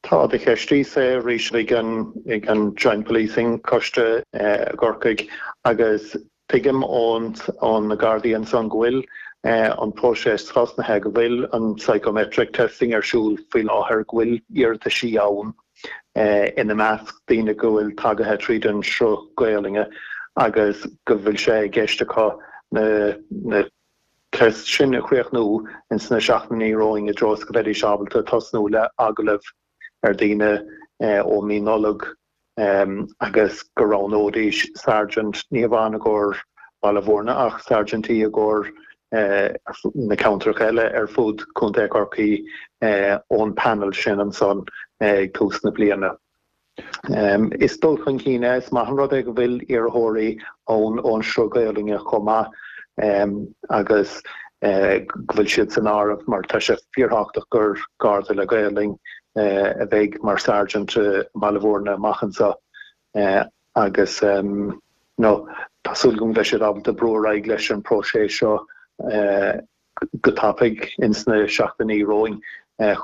Tá, do cheistíos é arís ag an ag an Joint Policing Coiste i gCorcaigh agus tuigim ón ón na Gardaí ansan go bhfuil an próiseas tosnaithe, go bhfuil an psychometric testing ar siúl faoi láthair, go bhfuil iarrataisí ann ina measc daoine go bhfuil tagaithe tríd an sruth Gaolainne agus go bhfuil sé i gceist acu na na tests sin a chríochnú ins na seachtainí romhainn i dtreo is go mbeidís ábalta tosnú le agallaimh ar daoine ó mí Nollag agus go roghnóidís sergeant, ní hamháin i gcomhair Baile Bhúirne ach sergeantí i gcomhair na ceantracha eile ar fud Contae Chorcaí ón panel sin ansan ag tús na bliana. Is dul chun cinn é, is maith an rud é go bhfuil iarrthóirí ann ón sruth Gaolainne chomh maith agus go bhfuil siad san áireamh mar tá sé fíorthábhachtach gur Garda le Gaolainn a bheidh mar Sergeant i mBaile Bhúirne amach anseo agus nó tá súil agam go mbeidh siad ábalta brú ar aghaidh leis an próiseas seo go tapaidh ins na seachtainí romhainn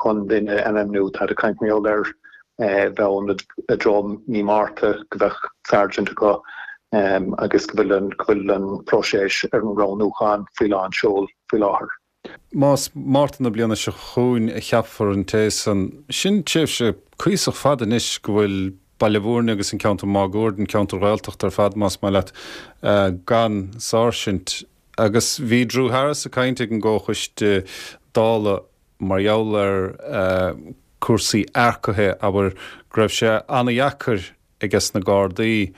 chun duine a ainmniú. Táid ag caint mar gheall ar bheith ann i dtreo mí Márta go mbeadh sergeant acu agus go bhfuil an go bhfuil an próiseas ar an roghnúchán faoi lán seol faoi láthair. Más Márta na bliana seo chugainn a cheapfar an té san, sin tréimhse cuíosach fada anois go bhfuil Baile Bhúirne agus an ceantar máguaird, an ceantar Ghaeltachta ar fad más maith leat, gan sáirsint. Agus bhí Drew Harris ag caint ag an gComhchoiste Dála mar gheall ar cúrsaí earcaithe, abair, go raibh sé ana-dheacair ages na Gardaí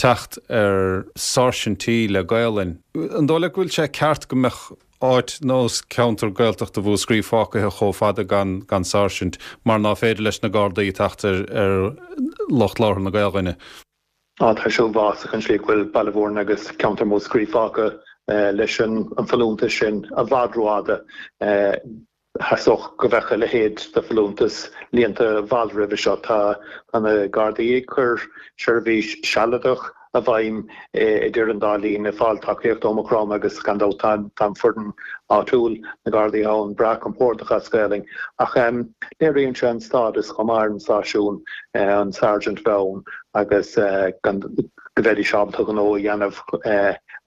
teacht ar sáirsintí le Gaolainn. An dóigh leat go bhfuil sé ceart go mbeadh áit nós ceantar Gaeltachta Mhúscraí fágtha chomh fada gan gan sáirsint mar ná féidir leis na Gardaí teacht ar ar lucht labhartha na Gaolainne? Á, tá sé uafásach an tslí go bhfuil Baile Bhúirne agus ceantar Mhúscraí fágtha leis an bhfolúntas sin i bhfad rófhada. Theastódh go mbeadh a leithéid de folúntas líonta i bhfad roimhe seo. Tá na Gardaí ag cur seirbhís sealadach i bhfeidhm idir an dá linn, ag fáil tacaíocht ó Maigh Chromtha agus gan dabht tá an foireann áitiúil, na Gardaí ann, breá compordach as Gaelainn. Ach léiríonn sé an stádas chomh maith ar an stáisiún, an sergeant a bheith ann agus gan go mbeidís ábalta gnó a dhéanamh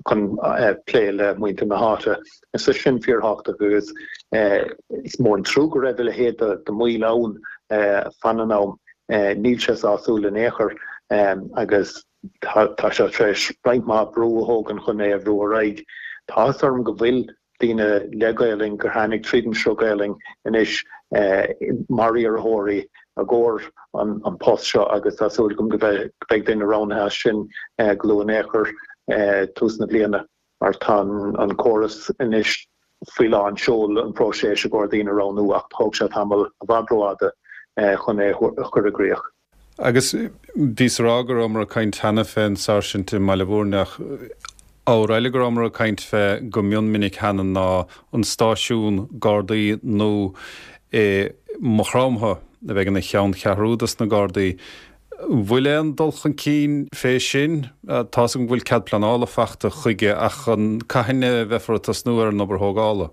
chun plé le muintir na háite. Is é sin fíorthábhachtach agus is mór an trua go raibh a leithéid de mhoill ann fan an am. Níl sé sásúil in aon chor agus tá sé tar éis roinnt mhaith brú a thógaint chun é a bhrú ar aghaidh. Tá áthas orm go bhfuil daoine le Gaolainn gur tháinig tríd an sruth Gaolainn anois mar iarrthóirí i gcomhair an post seo agus tá súil agam go mbeidh duine roghnaithe as sin go luath in aon chor tús na bliana mar tá an córas anois faoi lán seol an próiseas i gcomhair daoine a roghnú ach thóg sé tamall i bhfad rófhada chun é a chur i gcrích. Agus bhíos a rá go rabhamar ag caint cheana fén sáirsint i mBaile Bhúirne ach ábhar eile go rabhamar ag caint fé go mion minic cheana ná an stáisiún Gardaí nua i Maigh Chromtha a bheidh ina cheanncheathrú dos na Gardaí. Bhfuil aon dul chun cinn fé sin? Tá's agam go bhfuil cead pleanála fachta chuige ach an cathain a bheifear ag tosnú ar an obair thógála?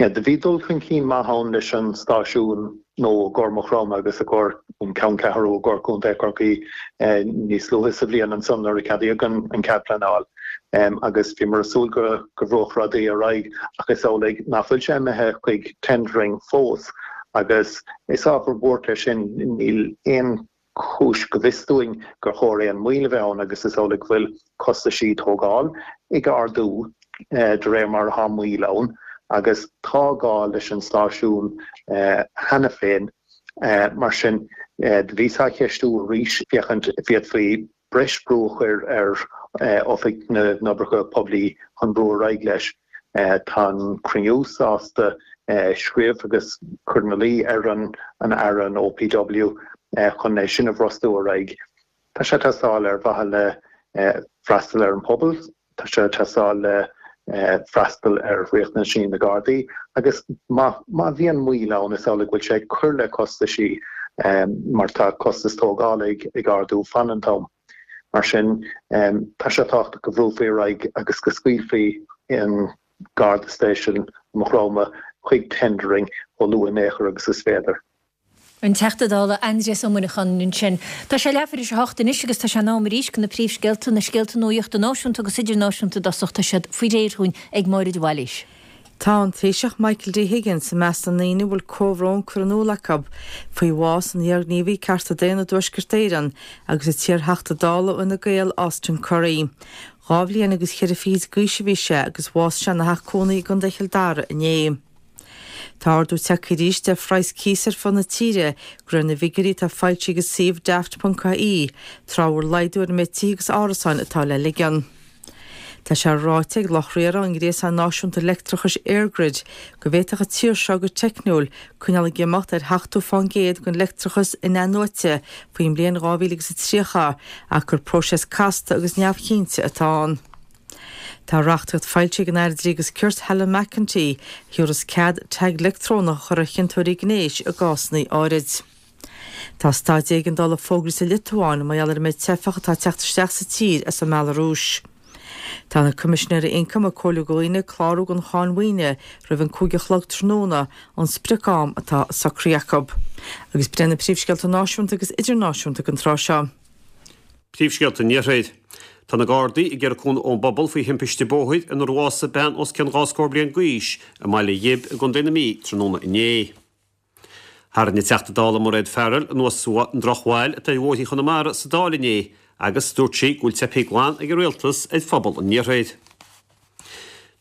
Yeah, do bhí dul chun cinn maith ann leis an stáisiún nua i gcomhair Maigh Chromtha agus i gcomhair an ceanncheathrú i gcomhair Contae Chorcaí níos luaithe sa bhliain ansan nuair a ceadaíodh an cead pleanáil agus bhíomar ag súil go go bhrúfadh rudaí ar aghaidh ach is amhlaidh nach bhfuil sé imithe chuig tendering fós agus is ábhar buartha é sin. Níl aon chúis go bhfios dúinn gur chóir aon mhoill a bheith ann agus is amhlaidh go bhfuil costaisí tógáil ag ardú de réir mar atá moill ann agus tá gá leis an stáisiún cheana féin. Mar sin, do bhíos á cheistiú arís féachaint an bhféadfaí breis brú a chur ar. Oifig na nOibreacha Poiblí chun brú ar aghaidh leis. Tá an cruinniú sásta scríobh agus cur ina luí ar an Aire, an OPW, chun é sin a bhrostú ar aghaidh. Tá sé ag teastáil ar mhaithe le freastal ar an pobal, tá sé ag teastáil le freastal ar riachtanaisí na Gardaí agus má bhíonn moill ann is amhlaidh go bhfuil sé ag cur le costaisí mar tá costas tógála ag ardú fan an t-am. Mar sin, tá sé tábhachtach go bhrúfaí ar aghaidh agus go scaoilfí an Garda Station i Maigh Chromtha chuig tendering chomh luath in aon chor agus is féidir. An Teachta Dála Aindrias Ó Muineacháin ansin. Tá sé leathuair tar éis a hocht anois agus tá sé in am arís do na príomhscéalta, na scéalta nuachta náisiúnta agus idirnáisiúnta i dtosach. Tá siad faoi réir dhúinn ag Máire de Bhailís. Tá an Taoiseach Michael D Higgins i measc na ndaoine a bhfuil comhbhrón curtha in iúl acu faoi bhás an iarghníomhaí cearta daonna i dTuaisceart Éireann agus an t-iarTheachta Dála ó Fhine Gael Austin Currie. Dhá bhliain agus cheithre fichid d'aois a bhí sé agus bhásaigh sé ina theach cónaí i gContae Chill Dara inné. Tá ardú tagtha arís ar phraghas cíosa ar fud na tíre, de réir na bhfigiúirí atá foilsithe ag an suíomh Daft.ie, tráth a bhfuil laghdú ar an méid tithe agus árasáin atá le ligean. Tá sé ráite ag lucht riartha an ghréasáin náisiúnta leictreachais EirGrid go bhféadfadh an tír seo go teicniúil coinneáil ag imeacht ar sheachtó fán gcéad den leictreachas in-athnuaite faoin mbliain 2030 ach gur próiseas casta agus neamhchinnte atá ann. Tá reachtaíocht foilsithe ag an Aire Dlí agus Cirt Helen McEntee a thabharfas cead tag leictreonach a chur ar chiontóirí gnéis i gcásanna áirid. Tá staid éigeandála fógraithe sa Liotuáin mar gheall ar an méid teifeach atá ag teacht isteach sa tír as an mBealarúis. Tá na Coimisinéirí Ioncaim ag comhairliú do dhaoine clárú don cháin mhaoine roimh an 5 a chlog tráthnóna, an sprioc-am atá socraithe acu. Agus b'in na príomhscéalta náisiúnta agus idirnáisiúnta don tráth seo. Príomhscéalta an Iarthair. Tá na Gardaí ag iarraidh cúnamh ón bpobal faoi thimpiste bóthair inar bhásaigh bean os cionn dhá scór bliain d'aois i mBaile Ghib i gContae na Mí tráthnóna inné. Tharraing an Teachta Dála Mairéad Farrell anuas an drochbhail atá ar bhóithrí Chonamara sa Dáil inné agus dúirt sí go bhfuil teipthe glan ag an Rialtas ar phobal an Iarthair.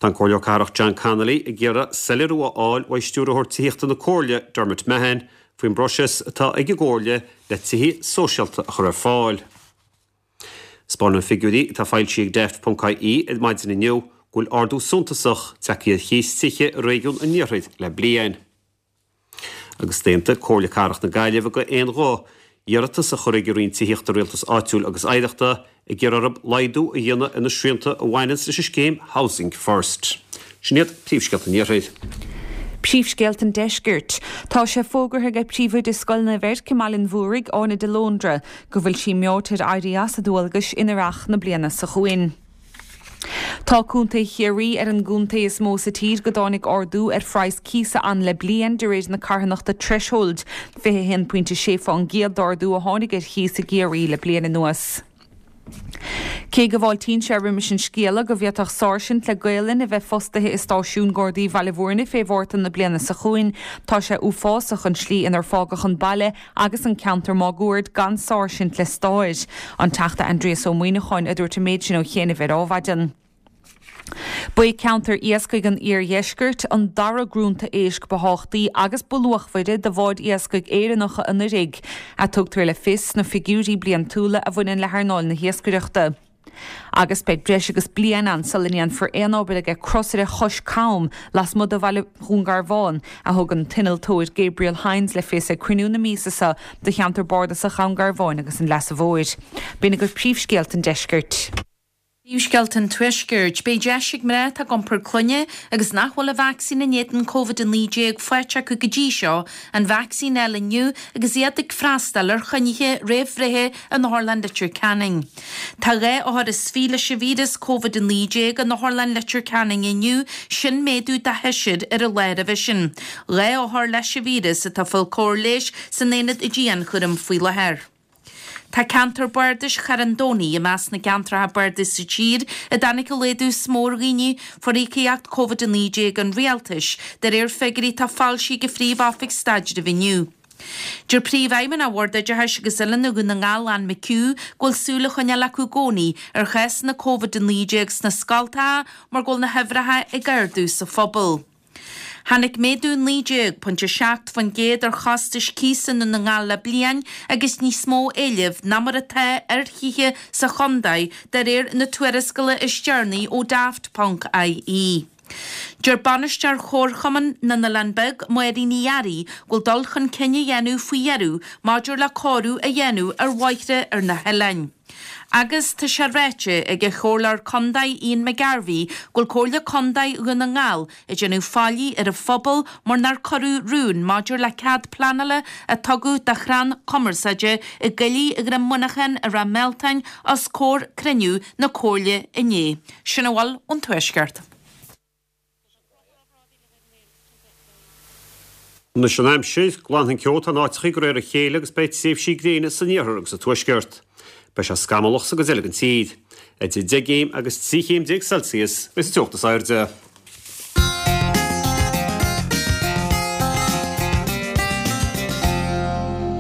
Tá an Comhairleoir Cathrach John Connolly ag iarraidh soiléiriú a fháil uaidh Stiúrthóir Tithíochta na Comhairle, Dermot Mahon, faoin bpróiseas atá ag an gComhairle le tithe sóisialta a chur ar fáil. 'Spáineann figiúirí atá foilsithe ag Daft.ie ar maidin inniu go bhfuil ardú suntasach tagtha ar chíos tithe i réigiún an Iarthair le bliain. Agus d'aontaigh Comhairle Cathrach na Gaillimhe d'aon ghuth iarratas a chur chuig an Roinn Tithíochta, Rialtais Áitiúil agus Oidhreachta ag iarraidh orthu laghdú a dhéanamh ar na srianta a bhaineanns leis an scéim Housing First. Sin iad príomhscéalta an Iarthair. Príomhscéalta an Deiscirt. Tá sé fógartha ag Príomhoide Scoil Naomh Eirc i mBaile an Mhúraigh, Áine de Lóndra, go bhfuil sí meáite ar éirí as a dualgais in earrach na bliana seo chugainn. Tá Contae Chiarraí ar an gcontae is mó sa tír go dtáinig ardú ar phraghas cíosa ann le bliain, de réir na carthanachta Threshold. 21.6 fán gcéad d'ardú a tháinig ar chíos i gCiarraí le bliain anuas. Cé go bhfáiltíonn sé roimis an scéala go bhféadfadh sáirsint le Gaolainn a bheith fostaithe i stáisiún Gardaí Bhaile Bhúirne fé Mhárta na bliana seo chugainn, tá sé uafásach an tslí inar fágadh an baile agus an ceantar máguaird gan sáirsint le stair. An Teachta Aindrias Ó Muimhneacháin a dúirt an méid sin ó chianaibh ar Adhmhaidin. Ba é ceantar iascaigh an iardheiscirt an dara grúnta éisc ba thábhachtaí agus ba luachmhaire do bháid iascaigh Éireannacha anuraidh, a tugtar le fios sna figiúirí bliantúla a bhaineann le hearnáil na hiascaireachta. Agus beidh breis agus bliain ann sula ndéanfar aon obair ag crosaire Chois Cam lasmuigh de bhaile Dhún Garbhán, a thug an t-innealtóir Gabriel Hynes le fios ag cruinniú na míosa seo de cheantar bardasach Dhún Garbháin agus an Leasa Mhóir. B'in agaibh príomhscéalta an deiscirt. Príomhscéalta an Tuaiscirt. Beidh deis ag mná atá ag iompar clainne agus nach bhfuil an vacsaín in éadan Covid-19 faighte acu go dtí seo, an vacsaín a fháil inniu agus iad ag freastal ar choinnithe réamhbhreithe in Otharlann Leitir Ceanainn. Tá 22 othar leis an víreas Covid-19 in Otharlann Leitir Ceanainn inniu, sin méadú de sheisear ar an lá roimhe sin. 2 othar leis an víreas atá ag fáil cóir leighis san aonad dianchúraim faoi láthair. Tá ceantar bardais Charn Domhnaigh i measc na gceantracha bardais sa tír a dtáinig an laghdú is mó ar dhaoine fuair íocaíocht Covid-19 an Rialtais, de réir figiúirí atá foilsithe ag an Phríomh-Oifig Staidrimh inniu. Deir Príomhfheidhmeannach Bhord Oideachais agus Oiliúna Dhún na nGall, Ann McHugh, go bhfuil súil á choinneáil acu i gcónaí ar chásanna Covid-19 sna scoltacha mar go bhfuil na huimhreacha ag ardú sa phobal. Tháinig méadú 19.7% ar chostais cíosa i nDún na nGall le bliain agus níos mó éilimh ná mar atá ar thithe sa chontae de réir na tuarascála is deireanaí ó Daft ponc IE. Deir bainisteoir Chomharchumann na nOileán Beag, Máirín Ní Fhearraigh, go bhfuil dul chun cinn á dhéanamh faoi dheireadh maidir le cóiriú a dhéanamh ar bhóithre ar na hoileáin. Agus tá sé ráite ag an Chomhairleoir Contae Ian McGarvey go bhfuil Comhairle Contae Dhún na nGall ag déanamh faillí ar an phobal mar nár cuireadh rún maidir le cead pleanála a tugadh do chrann cumarsáide i gcoillidh Dhroim Muineacháin i Ráth Mealtain os comhair cruinniú na Comhairle inné. Sin a bhfuil ón Tuaisceart. Anois an aimsir, glanfaidh an ceo atá in áiteachaí de réir a chéile agus beidh tréimhsí gréine san iarthar agus sa tuaisceart. Beidh sé scamallach sa gcuid eile den tír. Idir 10 gcéim agus 13 chéim Celsius a bheidh sa teocht is airde.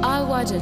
Adhmhaidin.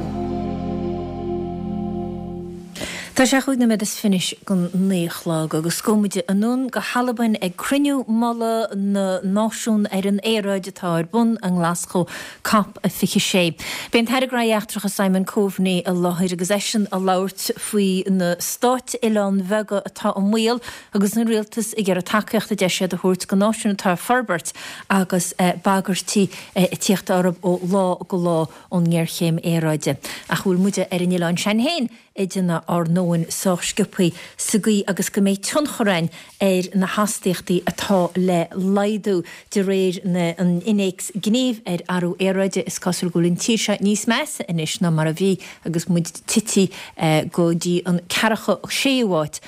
Tá sé chúig nóiméad is fiche don naoi a chlog agus gabhfaidh muid anonn go hAlbain ag cruinniú mullaigh na Náisiún ar an Aeráid atá ar bun i nGlaschú, Cop 26. Beidh an tAire Gnóthaí Eachtracha Simon Coveney i láthair agus eisean ag labhairt faoi na stáit oileán bheaga atá i mbaol agus an rialtas ag iarraidh tacaíocht a deir siad a thabhairt go náisiúin atá ag forbairt agus bagairtí ag tíocht orthu ó lá go lá ón ngéarchéim aeráide. Ach bhfuil muide ar an oileán sin féin ag déanamh ár ndóthain sách sciobthaí sa gcaoi agus go mbeidh tionchar againn ar na hastaíochtaí atá le laghdú de réir an Innéacs Gnímh ar Athrú Aeráide. Is cosúil go bhfuil an tír seo níos measa anois ná mar a bhí agus muid tití go dtí an ceathracha séú áit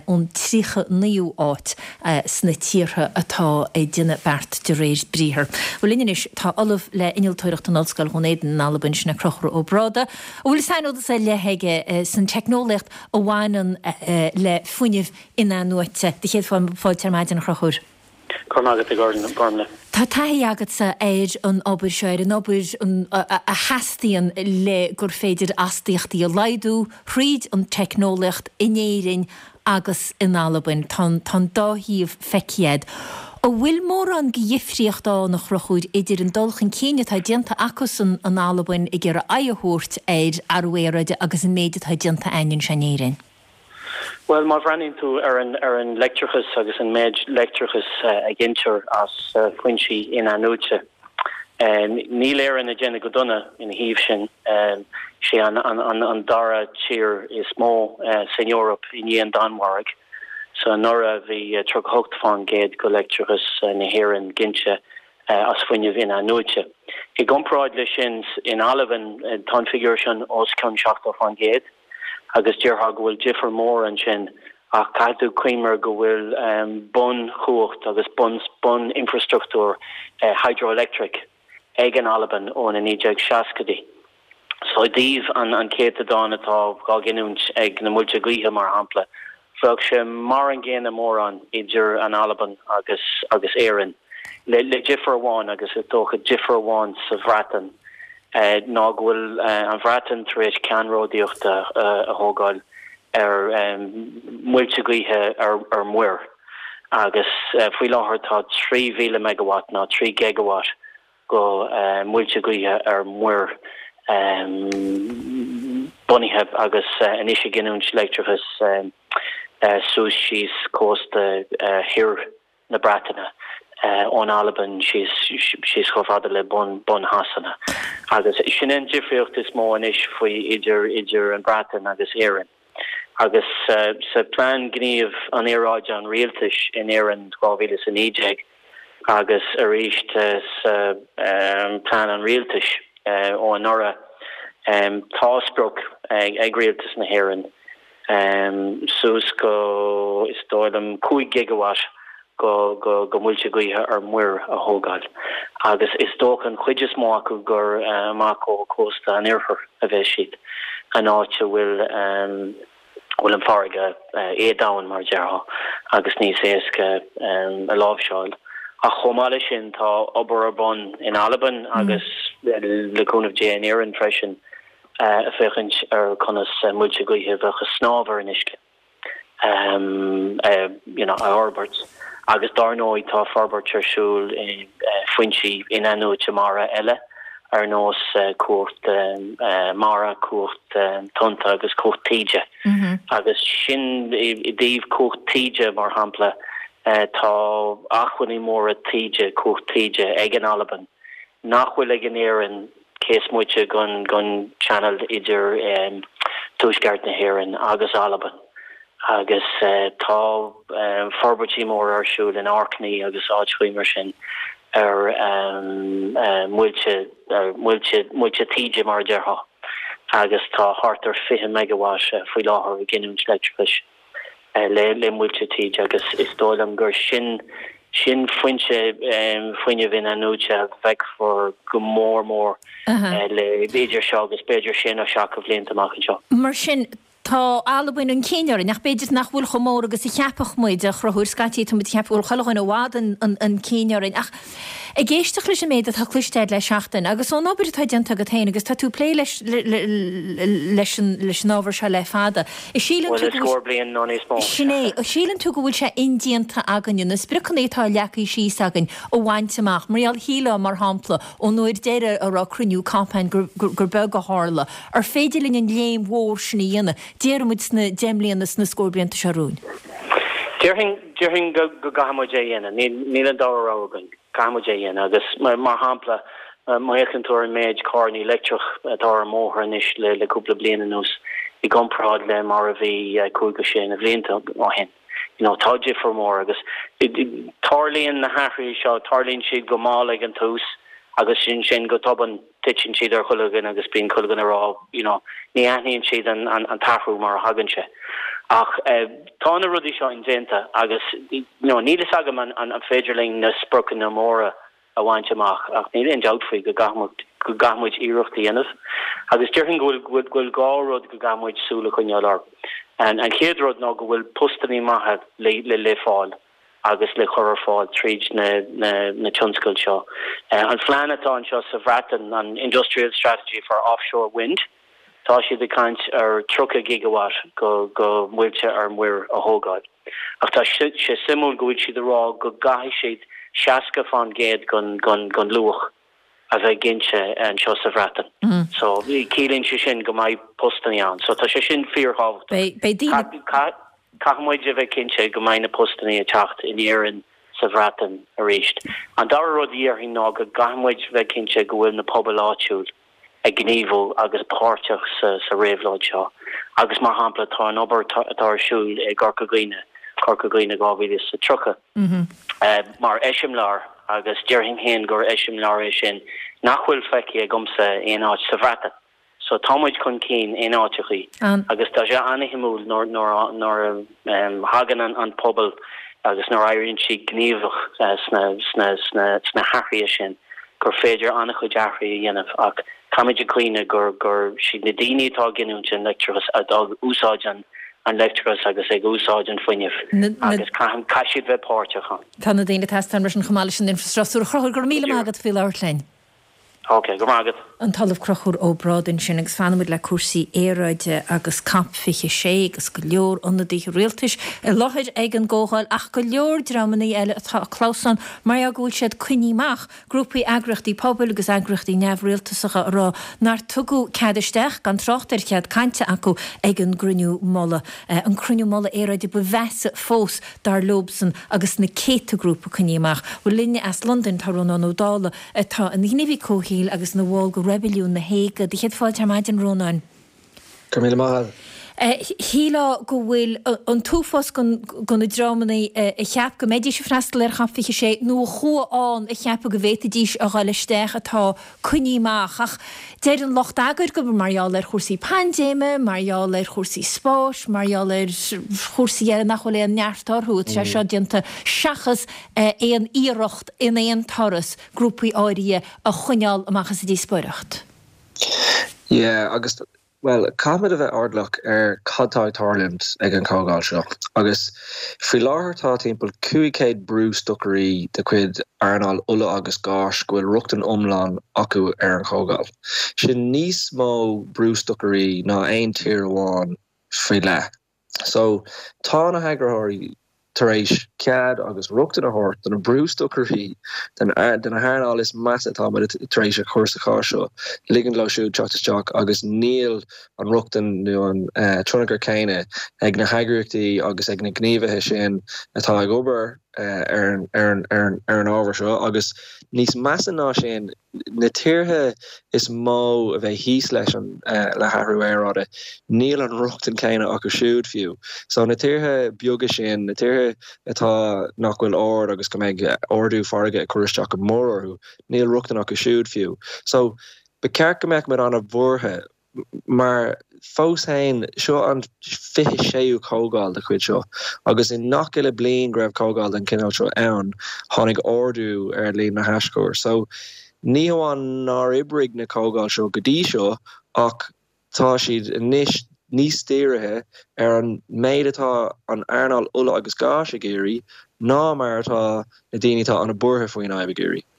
ón 39ú áit sna tíortha atá ag déanamh beart de réir briathar. Bhuel linn anois tá Ollamh le Innealtóireacht in Ollscoil Dhún Éideann in Albain, sin é Conchúr Ó Bráda, a bhfuil saineolas ar leith aige san teicneolaíocht a bhaineann le fuinneamh in-athnuaite. Do chéad fáilte ar maidin, a Chonchúir. Go raibh maith agat, a Ghormfhlaith. Tá taithí agatsa ar an obair seo, ar an obair a theastaíonn le gur féidir astaíochtaí a laghdú thríd an teicneolaíocht in Éirinn agus in Albain. Tá an dá thaobh feicthe agat. An bhfuil mórán de dhifríocht ann, a Chonchúir, idir an dul chun cinn atá déanta acusan in Albain ag iarraidh aghaidh a thabhairt ar athrú aeráide agus an méid atá déanta againn anseo in Éirinn? Bhuel, má bhreathnaíonn tú ar an ar an leictreachas agus an méid leictreachais a ghintear as foinsí in-athnuaite, níl Éirinn ag déanamh go dona ina thaobh sin. Is é an an dara tír is mó san Eoraip i ndiaidh an Danmhairg. So anuraidh bhí 38% de leictreachas na hÉireann ginte as fuinneamh in-athnuaite. I gcomparáid leis sin, in Albain tá an figiúr sin os cionn 70%. Agus déarfá go bhfuil difear mór ansin, ach caithfidh tú cuimhneamh go bhfuil bunchumhacht agus bun-infreastruchtúr hydroelectric ag an Albain ó na 1960idí. So i dtaobh an céatadán atá dhá ghiniúint ag na muilte gaoithe, mar shampla, bheadh sé mar an gcéanna mórán idir an Albain agus agus Éirinn, le difear amháin, agus is dócha difear amháin sa Bhreatain, ná go bhfuil an Bhreatain tar éis ceannródaíocht a thógáil ar muilte gaoithe ar muir agus faoi láthair tá 3,000 megawatt ná 3 gigawatt go muilte gaoithe ar muir bunaithe agus anois ag giniúint leictreachas suas síos cósta thoir na Breataine, ón Albain síos síos chomh fada le bun bun Shasana. Agus sin é an difríocht is mó anois faoi idir idir an Bhreatain agus Éirinn. Agus sa Plean Gníomh an Aeráide an Rialtais in Éirinn 2019 agus arís sa Plean an Rialtais ó anuraidh, tá sprioc ag Rialtas na hÉireann suas go, is dóigh liom, 5 gigawatt go go muilte gaoithe ar muir a thógáil agus is dócha an chuid is mó acu gur amach ó chósta an oirthir a bheas siad, an áit a bhfuil bhfuil an farraige éadomhain mar a déarfá agus níos éasca a láimhseáil. Ach chomh maith leis sin tá obair ar bun in Albain agus le cúnamh Dé in Éirinn freisin ag féachaint ar conas muilte gaoithe a bheadh ag snámh ar an uisce. You know, a fhorbairt agus dár ndóigh tá forbairt ar siúl i foinsí in-athnuaite mara eile ar nós cumhacht mara, cumhacht tonnta agus cumhacht taoide. Agus sin i dtaobh cumhacht taoide mar shampla, tá acmhainní móra taoide, cumhacht taoide ag an Albain nach bhfuil ag an Éirinn cé is moite den channel idir tuaisceart na hÉireann agus Albain agus tá forbairtí móra ar siúl in Orkney agus áiteachaí mar sin ar muilte muilte muilte taoide mar a déarfá agus tá thart ar 20 megawatt faoi láthair ag giniúint leictreachais. le muilte taoide agus is dóigh liom gur sin sin foinse fuinnimh in-athnuaite a bhfeicfear go mór mór le idir seo agus b'fhéidir sé nó seacht de bhlianta amach anseo. Mar sin, tá Albain chun cinn orainn, ach b'fhéidir nach bhfuil chomh mór agus a cheapfadh muid, a Chonchúir. Scaití tá muid ag ceapadh go bhfuil chuile dhuine i bhfad chun cinn orainn, ach ag éisteacht leis an méid atá cloiste agat le seachtain, agus ón obair atá déanta agat féin, agus tá tú ag plé leis leis an ábhar seo le fada, Síleann tú go bhfuil, nó níos mó. Sin é. Síleann tú go bhfuil sé indéanta againne na spriocanna atá leagtha síos againn a bhaint amach? Mar gheall, shílfeá, mar shampla, ón uair deireadh a raibh cruinniú COP ann gur gur beag a tharla. Ar féidir linn an léim mhór sin a dhéanamh, déarfaidh muid sna deich mbliana, sna scór blianta seo romhainn? Déarfainn, déarfainn go go gcaithfidh muid é a dhéanamh. Níl, níl an dara rogha againn. Caithfidh muid é a dhéanamh agus, mar shampla, má fhéachann tú ar an méid carrannaí leictreach atá ar an mbóthar anois le cúpla bliain anuas i gcomparáid le mar a bhí cúig go sé na bhlianta ó shin, you know, tá difear mór agus tarlaíonn na hathruithe seo, tarlaíonn siad go mall ag an tús agus ansin go tobann titeann siad ar chuile dhuine agus bíonn chuile dhuine ag rá, you know, ní aithníonn siad an an t-athrú mar a thagann sé. Ach tá na rudaí seo indéanta agus, you know, níl fhios agam an an féidir linn na spriocanna móra a bhaint amach ach níl aon dabht faoi go gcaithfidh go gcaithfidh muid iarracht a dhéanamh. Agus déarfainn go bhfuil go bhfuil dhá rud go gcaithfidh muid súil a choinneáil orthu. An an chéad rud ná go bhfuil postannaí maithe le le le fáil. agus le cur ar fáil tríd na tionscail seo. An phlean atá anseo sa Bhreatain, an Industrial Strategy for Offshore Wind, tá siad ag caint ar 30 gigawatt go muilte ar muir a thógáil. Ach tá sé suimiúil go bhfuil siad ag rá go gcaithfidh siad 60 fán gcéad gon luach a bheith ginte anseo sa Bhreatain. So, ciallaíonn sé sin go mbeidh postannaí ann. So, tá sé sin fíorthábhachtach. Beidh daoine. Caithfidh muid a bheith cinnte go mbeidh na postannaí ag teacht in Éirinn, sa Bhreatain arís. An dara rud a dhéarfainn ná go gcaithfidh muid bheith cinnte go bhfuil na pobail áitiúil ag gníomhú agus páirteach sa réabhlóid seo. Agus mar shampla tá an obair atá ar siúl i gCorca Dhuibhne, Corca Dhuibhne 2030, mar eiseamláir agus déarfainn féin gur eiseamláir é sin nach bhfuil feicthe agamsa aon áit sa Bhreatain. So tá muid chun cinn in áiteachaí agus tá sé an-shuimiúil nuair a thagann an pobal agus nuair a éiríonn siad gníomhach sna hathruithe sin gur féidir an-chuid athruithe a dhéanamh ach caithfimid a cuimhneamh gur gur siad na daoine atá ag giniúint an leictreachais atá ag úsáid an leictreachais agus ag úsáid an fuinnimh agus caithfidh siad bheith páirteach ann. Tá na daoine ag teastáil mar sin chomh maith leis an infreastruchtúr. A Chonchúir, go raibh míle maith agat faoi labhairt linn. Ok, go raibh maith agat. An tOllamh Conchúr Ó Brádaigh ansin agus fanfaimid le cúrsaí aeráide agus Cop 26 agus go leor ionadaithe rialtais i láthair ag an gcomhdháil ach go leor dreamanna eile atá ag clamhsán mar gheall go bhfuil siad coinnithe amach, grúpaí eagraíochtaí pobail agus eagraíochtaí neamhrialtasacha a rá nár tugadh cead isteach, gan trácht ar chead cainte acu ag an gcruinniú mullaigh. An cruinniú mullaigh aeráide ba mheasa fós dar leobsan agus na céadta grúpa coinnithe amach. Bhuel linn as Londain tá Rónán Ó Dálaigh atá ina ghníomhaí comhshaoil agus ina bhall de Reibiliún na hÉige. Do chéad fáilte ar maidin, Rónáin. Go raibh míle maith agat. Shílfeá go bhfuil an t-uafás de na dreamanna a cheap go mbeidís ag freastal ar Chop 26 nó a chuaigh ann a cheapadh go bhféadfaidís a dhul isteach atá coinnithe amach. Ach deir an lucht eagair gurb mar gheall ar chúrsaí paindéime, mar gheall ar chúrsaí spáis, mar gheall ar chúrsaí eile nach bhfuil aon neart orthu atá sé seo déanta seachas aon iarracht in aon turas grúpaí áirithe a choinneáil amach as an díospóireacht. Yeah, agus, bhuel, caithfimid a bheith airdeallach ar cad tá ag tarlúint ag an chomhdháil seo. Agus faoi láthair tá timpeall 500 brústocairí de chuid earnáil ola agus gáis go bhfuil rochtain iomlán acu ar an chomhdháil. Sin níos mó brústocairí ná aon tír amháin faoi leith. So, tá na heagraitheoirí tar éis cead agus rochtain a thabhairt do na brústocairí den den hearnáil is measa atá muid tar éis a chur sa chás seo, ligint leo siúd teacht isteach agus níl an rochtain nó an tionchar céanna ag na heagraíochtaí agus ag na gníomhaithe sin atá ag obair ar an ar an ábhar seo agus níos measa ná sin, na tíortha is mó a bheidh thíos leis an le hathrú aeráide, níl an rochtain céanna acu siúd fiú. So na tíortha beaga sin, na tíortha atá nach bhfuil ard agus go mbeidh ardú farraige ag cur isteach go mór orthu, níl rochtain acu siúd fiú. So ba cheart go mbeadh muid an-bhuartha Mar fós féin, seo an 26ú comhdháil de chuid seo, agus i ngach uile bliain go raibh comhdháil den chineál seo ann, tháinig ardú ar líon na haschur. So, ní hamháin nár oibrigh na comhdháil seo go dtí seo, ach tá siad anois níos dírithe ar an méid atá an earnáil ola agus gáis ag iarraidh ná mar atá na daoine atá an-bhuartha faoin fhadhb ag iarraidh.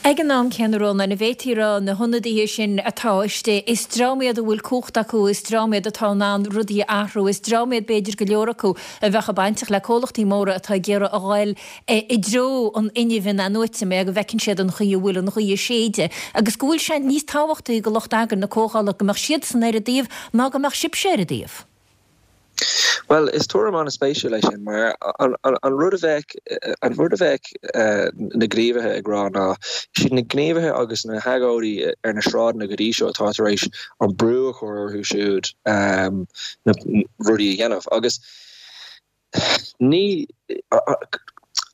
Ag an am céanna, Rónán, an bhféadfaí a rá, na hionadaithe sin atá istigh, is dream iad a bhfuil cumhacht acu, is dream iad atá in ann rudaí a athrú, is dream iad b'fhéidir go leor acu a bheadh bainteach le comhlachtaí móra atá ag iarraidh a ghoil i dtreo an fhuinnimh in-athnuaite, mar go bhfeiceann siad an chaoi a bhfuil an ghaoth ag séideadh agus go bhfuil sé níos tábhachtaí do lucht eagraithe na comhdhála go mbeadh siadsan ar a dtaobh ná go mbeadh sibhse ar a dtaobh. Bhuel, is tuairim an-spéisiúil é sin, mar an rud a bheadh, an rud a bheadh na gníomhaithe ag rá ná, is iad na gníomhaithe agus na hagóidí ar na sráideanna go dtí seo atá tar éis an brú a chur orthu siúd na rudaí a dhéanamh. Agus ní,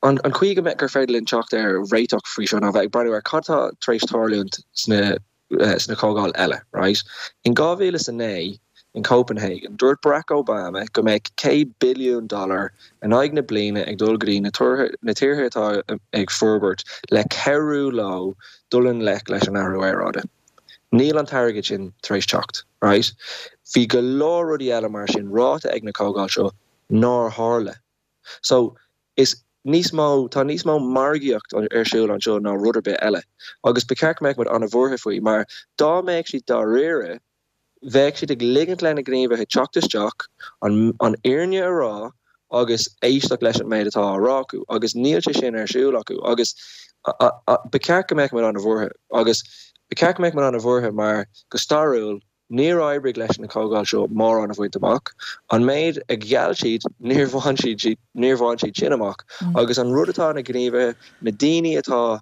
an chaoi go mbeadh, gur féidir linn teacht ar réiteach faoi seo ná bheith ag breathnú ar cad tá tar éis tarlúint sna sna comhdháil eile, right? In 2009, in Copenhagen, dúirt Barack Obama go mbeadh 100 billiún dollar in aghaidh na bliana ag dul go dtí na na tíortha atá ag forbairt le cabhrú leo dul i ngleic leis an athrú aeráide. Níl an t-airgead sin tar éis teacht, right? Bhí go leor rudaí eile mar sin ráite ag na comhdháil seo nár tharla. So, is níos mó, tá níos mó margaíocht ar siúl anseo ná rud ar bith eile. Agus ba cheart go mbeadh muid an-bhuartha faoi, mar dá mbeadh siad dáiríre, bheadh siad ag ligint le na gníomhaithe teacht isteach, an an fhírinne a rá agus éisteacht leis an méid atá á rá acu. Agus níl sé sin ar siúl acu. Agus ba cheart go mbeadh muid an-bhuartha. Agus ba cheart go mbeadh muid an-bhuartha mar, go stairiúil, Níor oibrigh leis na comhdháil seo mórán a bhaint amach. An méid a gheall siad, níor bhain siad, níor bhain siad sin amach. Agus an rud atá na gníomhaithe, na daoine atá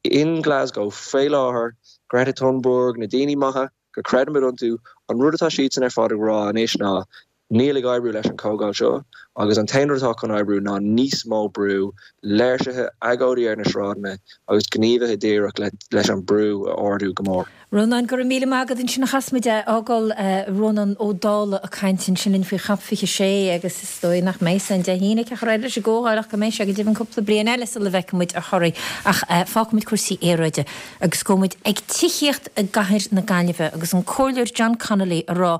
in Glasgow faoi láthair, Greta Thunberg, na daoine maithe go creidimid iontu, an rud atá siadsan ar fad ag rá anois ná, Níl ag oibriú leis an chomhdháil seo agus an t-aon rud atá chun oibriú ná níos mó brú, léirsithe, agóidí ar na sráideanna agus gníomhaithe díreach leis an brú a ardú go mór. Rónán, go raibh míle maith agat ansin a chas muid é a fhágáil Rónán Ó Dálaigh ag caint ansin linn faoi Chop 26 agus is dóigh nach mbeidh san Dé hAoine cé chomh réidh leis an gcomhdháil ach go mbeidh sé go deimhin cúpla bliain eile sula bhfeicfidh muid a thoradh ach fágfaidh muid cúrsaí aeráide agus gabhfaidh muid ag tithíocht i gcathair na Gaillimhe agus an Comhairleoir John Connolly ag rá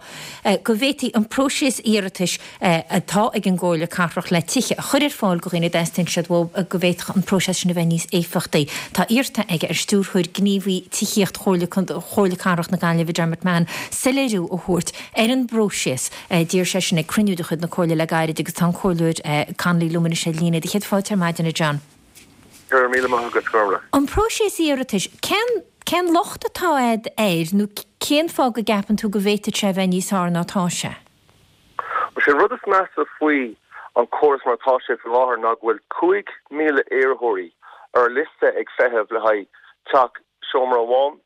go bhféadfaí an próiseas iarratais atá ag an gComhairle Cathrach le tithe a chur ar fáil do dhaoine a dteastaíonn siad uathu, go bhféadfadh an próiseas sin a bheith níos éifeachtaí. Tá iarrta aige ar Stiúrthóir Gníomhaí Tithíocht Chomhairle Cathrach na Gaillimhe, Dermot Mahon, soiléiriú a thabhairt ar an bpróiseas. D'iarr sé sin ag cruinniú de chuid na Comhairle le gairid agus tá an Comhairleoir Connolly liom anois ar líne. Do chéad fáilte ar maidin, a John. Go raibh míle maith agat, Gormlaith. An próiseas iarratais, cén, cén locht atá a'd air nó cén fáth go gceapann tú go bhféadfadh sé a bheith níos fearr ná atá sé? Bhuel, sé an rud is measa faoi an córas mar atá sé faoi láthair ná go bhfuil 5,000 iarrthóirí ar liosta ag feitheamh le haghaidh teach seomra amháin,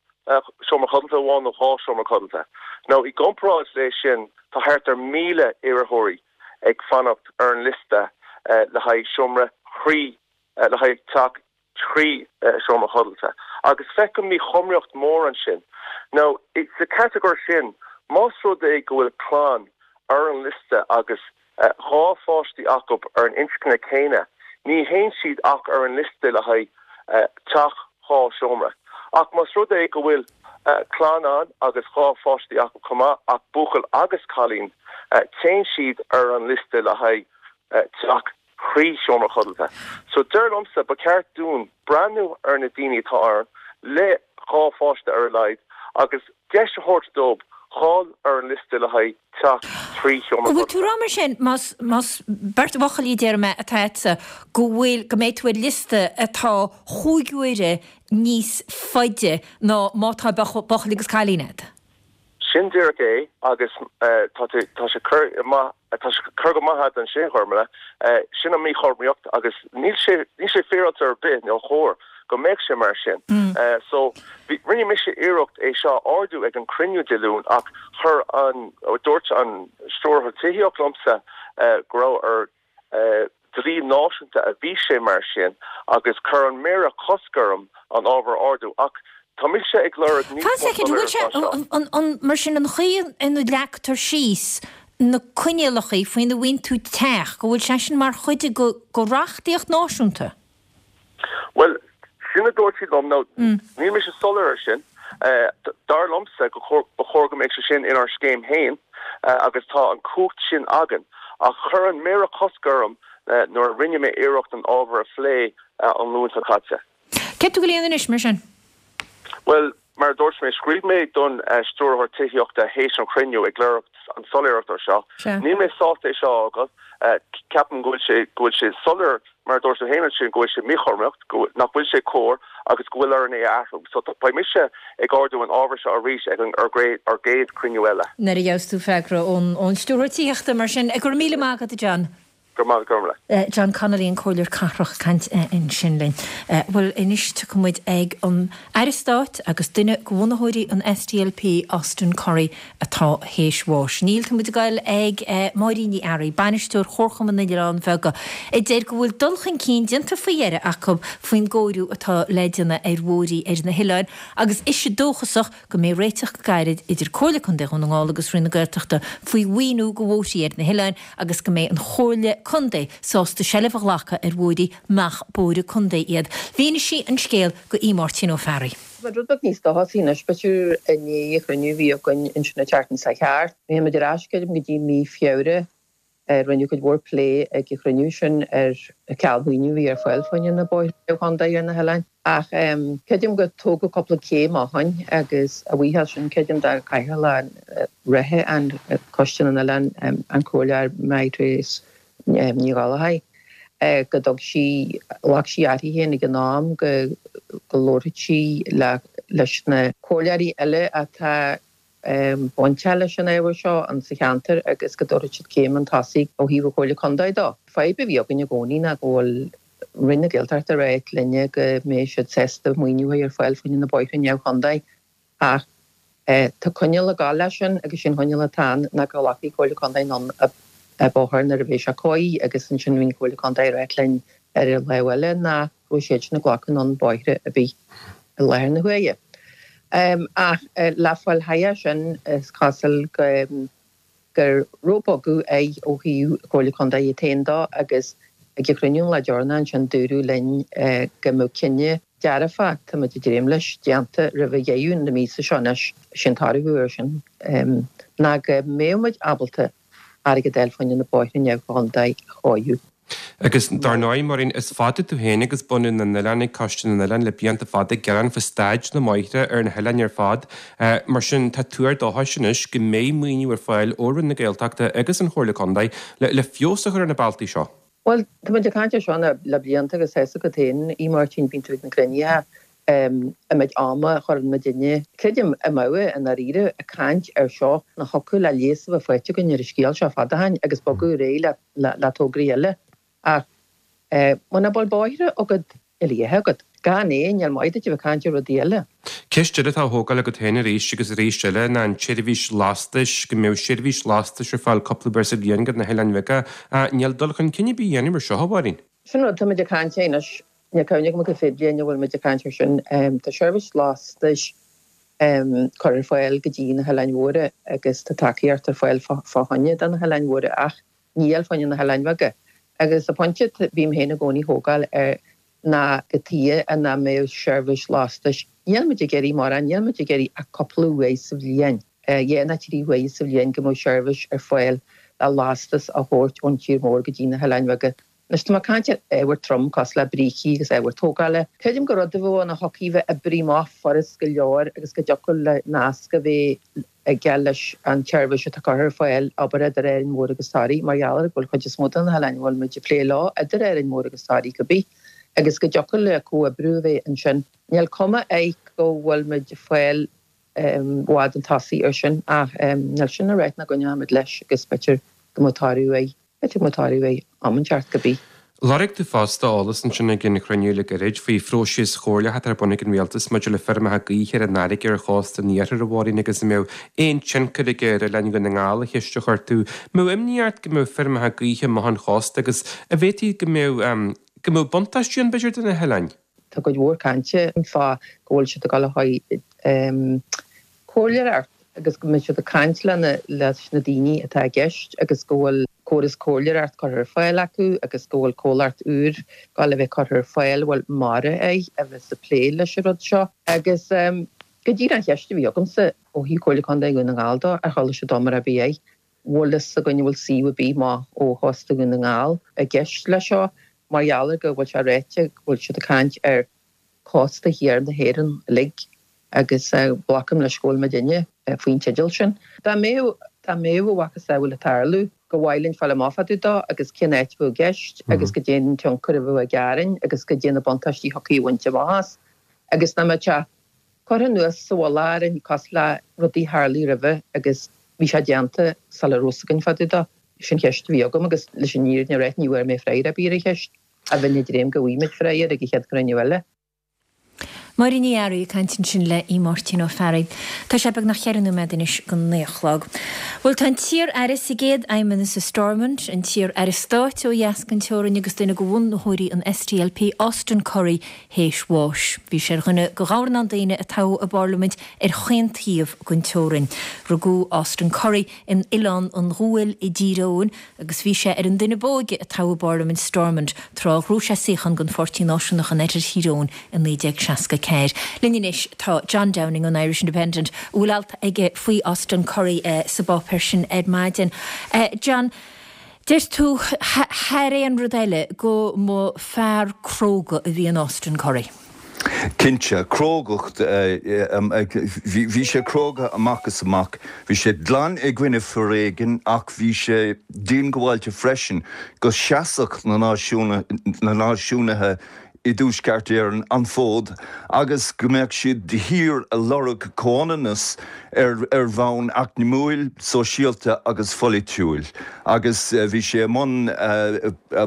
seomra codlata amháin nó dhá seomra codlata. Now i gcomparáid lé sin tá thart ar 1,000 iarrthóirí ag fanacht ar an liosta le haghaidh seomra thrí, le haghaidh teach thrí seomra codlata. Agus feicim míchothromaíocht mór ansin. Now, sa chatagóir sin, más rud é go bhfuil clann ar an liosta agus dhá pháistí acu ar an inscne céanna, ní théann siad ach ar an liosta le haghaidh teach dhá seomra. Ach más rud é go bhfuil clann ann agus dhá pháistí acu chomh maith, ach buachaill agus cailín, téann siad ar an liosta le haghaidh teach thrí seomra codlata. So dar liomsa, ba cheart dúinn breathnú ar na daoine atá ann le dhá pháiste ar a laghad agus deis a thabhairt dóibh. dhul ar an liosta le haghaidh teach 3 sheomra An bhfuil tú ag rá mar sin, más, más beirt bhuachaillí déarfaidh mé atá agatsa, go bhfuil, go mbeidh tú ar liosta atá chúig uaire níos faide ná má tá buachaill agus cailín agat? Sin díreach é agus tá tá sé curtha maith, tá sé curtha go maith agat ansin, a Ghormlaith. Sin an míchothromaíocht agus níl sé, níl sé féaráilte ar bith, nó chóir go mbeadh sé mar sin. So, bhí, rinne mise iarracht é seo a ardú ag an cruinniú Dé Luain ach chuir an, dúirt an Stiúrthóir Tithíochta liomsa go raibh ar, dlí náisiúnta a bhí sé mar sin agus chuir an Méara cosc orm an ábhar a ardú ach tá mise ag lorg níos Fan mó soicind, an bhfuil sé, soiléireacht ná seo. an, an, mar sin an chaoi ina leagtar síos na coinníollacha faoina bhfaigheann tú teach, go bhfuil sé sin mar chuid de reachtaíocht náisiúnta? Bhuel, sin a dúirt siad liom. Now, níl mise soiléir ar sin. Dar liomsa go ba chóir go mbeadh sé sin inár scéim féin agus tá an cumhacht sin againn. Ach chuir an Méara cosc orm nuair a rinne mé iarracht an ábhar a phlé an Luan seo caite. Céard tá tú ag dul a dhéanamh anois, mar sin? Bhuel, mar a dúirt mé, scríobh mé don Stiúrthóir Tithíochta théis an chruinniú ag lorg an soiléireacht ar seo. Níl mé sásta é seo a fhágáil. Ceapaim go bhfuil sé, go bhfuil sé soiléir, mar a dúirt tú féin ansin, go bhfuil sé míchothromaíocht, go, nach bhfuil sé cóir agus go bhfuil orainn é a athrú. So beidh mise ag ardú an ábhair seo arís ag an, ár gcéad chruinniú eile. Nuair a gheobhas tú freagra ón, ón Stiúrthóir Tithíochta, mar sin. Go raibh míle maith agat, a John. Go raibh maith agat, Gormlaith. John Connolly, an Comhairleoir Cathrach, ag caint ansin linn. Bhuel, anois tiocfaidh muid ag an Aire Stáit agus duine de bhunaitheoirí an SDLP, Austin Currie, atá théis bháis. Níl, tá muid ag goil ag Máirín Ní Fhearraigh, Bainisteoir Chomharchumann na nOileán Bheaga, a deir go bhfuil dul chun cinn déanta faoi dheireadh acu faoin gcóiriú atá le déanamh ar bhóithrí ar na hoileáin agus ise dóchasach go mbeidh réiteach go gairid idir Comhairle Contae Dhún na nGall agus Roinn na Gaeltachta faoi mhaoiniú do bhóithrí ar na hoileáin agus go mbeidh an Chomhairle Contae sásta seilbh a ghlacadh ar bhóithrí nach bóithre contae iad. Mhínigh sí an scéal do Aodh Máirtín Ó Fearraigh. Tá rud beag níos dóchasaí anois, b'fhéidir, i ndiaidh an chruinniú a bhí againn ansin an tseachtain seo thart. Bhí muid ar ais, creidim, go dtí mí Feabhra. Rinneadh cuid mhór plé ag an chruinniú sin ar an cineál maoiniú a bhí ar fáil fá choinne na bóithre neamhchontae ar na hoileáin. Ach creidim gur tógadh cúpla céim ó shoin agus a bhuíochas sin creidim do chathaoirleach reatha an Choiste na nOileán, an Comhairleoir Mary-Therese Ní Ghallchóir, go dtug sí, ghlac sí uirthi féin ag an am go labharfadh sí leis na comhairleoirí eile atá bainteach leis an ábhar seo in sa cheantar agus go dtabharfadh siad céim chun tosaigh ó thaobh an Chomhairle Contae dó. Fadhb a bhí againn i gcónaí ná go bhfuil Roinn na Gaeltachta ag ráit linne go mbeidh siad sásta maoiniú a chur ar fáil fá choinne na bóithre neamhchontae ach tá coinníoll ag gabháil leis sin agus sé'n choinníoll atá ann ná go nglacfaidh Comhairle Contae anonn an bóthar nuair a bheidh sé cóirithe agus ansin bhí an Chomhairle Contae ag ráit linn ar an lámh eile nach raibh siadsan ag glacadh anonn bóithre ar bith i láthair na huaire. Ach le fáil thairis sin is cosúil go raibh bogadh air ó thaobh Chomhairle Contae iad féin dó agus ag an chruinniú an lá deireanach ansin dúradh linn go mbeadh cinneadh dearfach, tá muid ag dréim leis, déanta roimh dheireadh na míosa seo anois. Sé'n toradh air sin ná go mbeadh muid ábalta airgead a fháil fá choinne na bóithre neamhchontae a chóiriú. Agus dar ndóigh, Máirín, is fada tú féin agus bunadh na n-oileán ag Coiste na nOileán le blianta fada ag gearán fá staid na mbóithre ar na hoileáin ar fad. Mar sin, tá tuar dóchais anois go mbeidh maoiniú ar fáil ó Roinn na Gaeltachta agus an Chomhairle Contae le feabhas a chur ar na bealtaí seo. Bhuel, tá muid ag caint ar seo le blianta agus tá 'fhios agat féin, a Mháirtín, bíonn tú ag na cruinnithe an méid ama a chuireann muidinne, creidim, i mbeadh, i ndáiríre, ag caint air seo, nach thiocfadh le leigheas a bheith faighte againn ar an scéal seo fada ó shin agus bogadh ar aghaidh le tograí eile. Ach muna bhfuil bóithre agat, níl a dhath agat. Gan é, níl maith duit a bheith ag caint ar rudaí eile. Ceist eile atá á thógáil agat féin arís agus arís eile ná an tseirbhís lastais, go mbeadh seirbhís lastais ar fáil cúpla uair sa bhliain go na hoileáin bheaga. Níl dul chun cinn ar bith á dhéanamh ar seo, a Mháirín. Sin rud, tá muid ag caint air anois Níl cuimhne agam cad fad bliain a bhfuil muid ag caint air sin. Tá seirbhís lastais curtha ar fáil go dtí na hOileáin Mhóra agus tá tacaíocht ar fáil fá choinne do na hOileáin Mhóra ach níl fá choinne na hOileáin Bheaga. Agus an pointe a bhím féin i gcónaí a thógáil air ná cad tuige nach mbeadh seirbhís lastais, níl muid ag iarraidh mórán, níl muid ag iarraidh ach cúpla uair sa bhliain, dhá nó trí huaire sa bhliain go mbeadh seirbhís ar fáil le lastas a thabhairt ón tír mór go dtí na hOileáin Bheaga. Anois tá mé ag caint ar ábhar trom cosúil le brící agus ábhar tógála. Creidim gur rud a bheadh ann a thiocfadh bheith oibrithe amach furast go leor agus go dtiocfadh le nasc a bheith aige leis an tseirbhís atá curtha ar fáil, abair idir Árainn Mhór agus Toraigh, mar gheall ar go bhfuil chuid is mó de na hoileáin a bhfuil muid ag plé leo idir Árainn Mhór agus Toraigh cibé, agus go dtiocfadh le comhoibriú a bheith ansin. Níl cuma air go bhfuil muid ag fáil i bhfad chun tosaigh ar sin ach níl sin le ráit nach gcoinneoimid leis agus b'fhéidir go mbeadh toradh air. B'fhéidir go mbeadh toradh air am inteacht cibé. Lorg tú fosta eolas ansin ag an chruinniú le gairid faoi phróiseas chomhairleach atá ar bun ag an Rialtas maidir le feirmeacha gaoithe ar an fharraige ar chósta an iarthair, a Mháirín, agus an mbeadh aon tionchar aige ar oileáin Dhún na nGall, an cheist a chuir tú. Mbeadh imní ort go mbeadh feirmeacha gaoithe amach ón chósta agus an bhféadfaí go mbeadh, go mbeadh buntáistí ann b'fhéidir do na hoileáin? Tá cuid mhór cainte fá go bhfuil siad ag dul le haghaidh comhairleoireacht agus go mbeidh siad ag caint leis na daoine atá i gceist agus go bhfuil córas comhairleoireacht curtha ar fáil acu agus go bhfuil comhlacht úr ag dul a bheith curtha ar fáil a bhfuil mara air a bheas ag plé leis an rud seo. Agus go díreach an cheist a bhí agamsa ó thaobh Comhairle Contae Dhún na Ngall dó, ar chuala siad iomrá ar bith air, bhfuil fhios againn an bhfuil suíomh ar bith amach ó chósta Dhún na nGall i gceist leis seo mar gheall ar go bhfuil sé ráite go bhfuil siad ag caint ar chósta thiar na hÉireann uilig agus glacaim leis go bhfuil muidinne faoin teideal sin. Dá mbeadh, dá mbeadh a mhacasamhail ag tarlú, go mhaith linn fáil amach fá dtaobh dó agus cén áit a bheadh i gceist agus goidé an tionchar a bheadh aige orainn agus goidé na buntáistí a thiocfaí a bhaint amach as agus nach mbeadh sé curtha anuas sa mhullach orainn cosúil le rudaí a tharlaigh roimhe agus bhí sé déanta sula raibh fhios againn fá dtaobh dó. Sin cheist a bhí agam agus leis an fhírinne a ráit ní bhfuair mé freagra ar bith ar an cheist a bheinn ag dréim go bhfaighimid freagra ag an chéad chruinniú eile. Máire Ní Fhearraigh ag caint ansin le Aodh Máirtín Ó Fearraigh. Tá sé beagnach cheithre nóiméad anois go naoi a chlog. Bhuel, tá an t-iar-aire sa gcéad fheidhmeannas i Stormont, an t-iar-aire stáit ó dheas den teorainn agus duine de bhunaitheoirí an SDLP, Austin Currie, théis bháis. Bhí sé ar dhuine de dhornán daoine a toghadh i bParlaimint ar chaon taobh den teorainn. Rugadh Austin Currie in Oileán an Ghuail i dTír Eoghain agus bhí sé ar an duine b'óige a toghadh i bParlaimint Stormont tráth a ghnóthaigh sé suíochán don Pháirtí Náisiúnach in Oirthear Thír Eoghain i 1964. Linn anois tá John Downing ón Irish Independent a bhfuil alt aige faoi Austin Currie sa bpáipéar sin ar maidin. John, deir tú, thar aon rud eile, go mba fear cróga a bhí in Austin Currie. Cinnte, crógacht, bhí sé cróga amach is amach. Bhí sé glan i gcoinne foréigin ach bhí sé diongbháilte freisin go seasfadh na náisiúnaithe i dTuaisceart Éireann an fód agus go mbeadh siad de shíor ag lorg comhionannas ar bhonn eacnamúil, sóisialta agus pholaitiúil. Agus bhí sé i mbun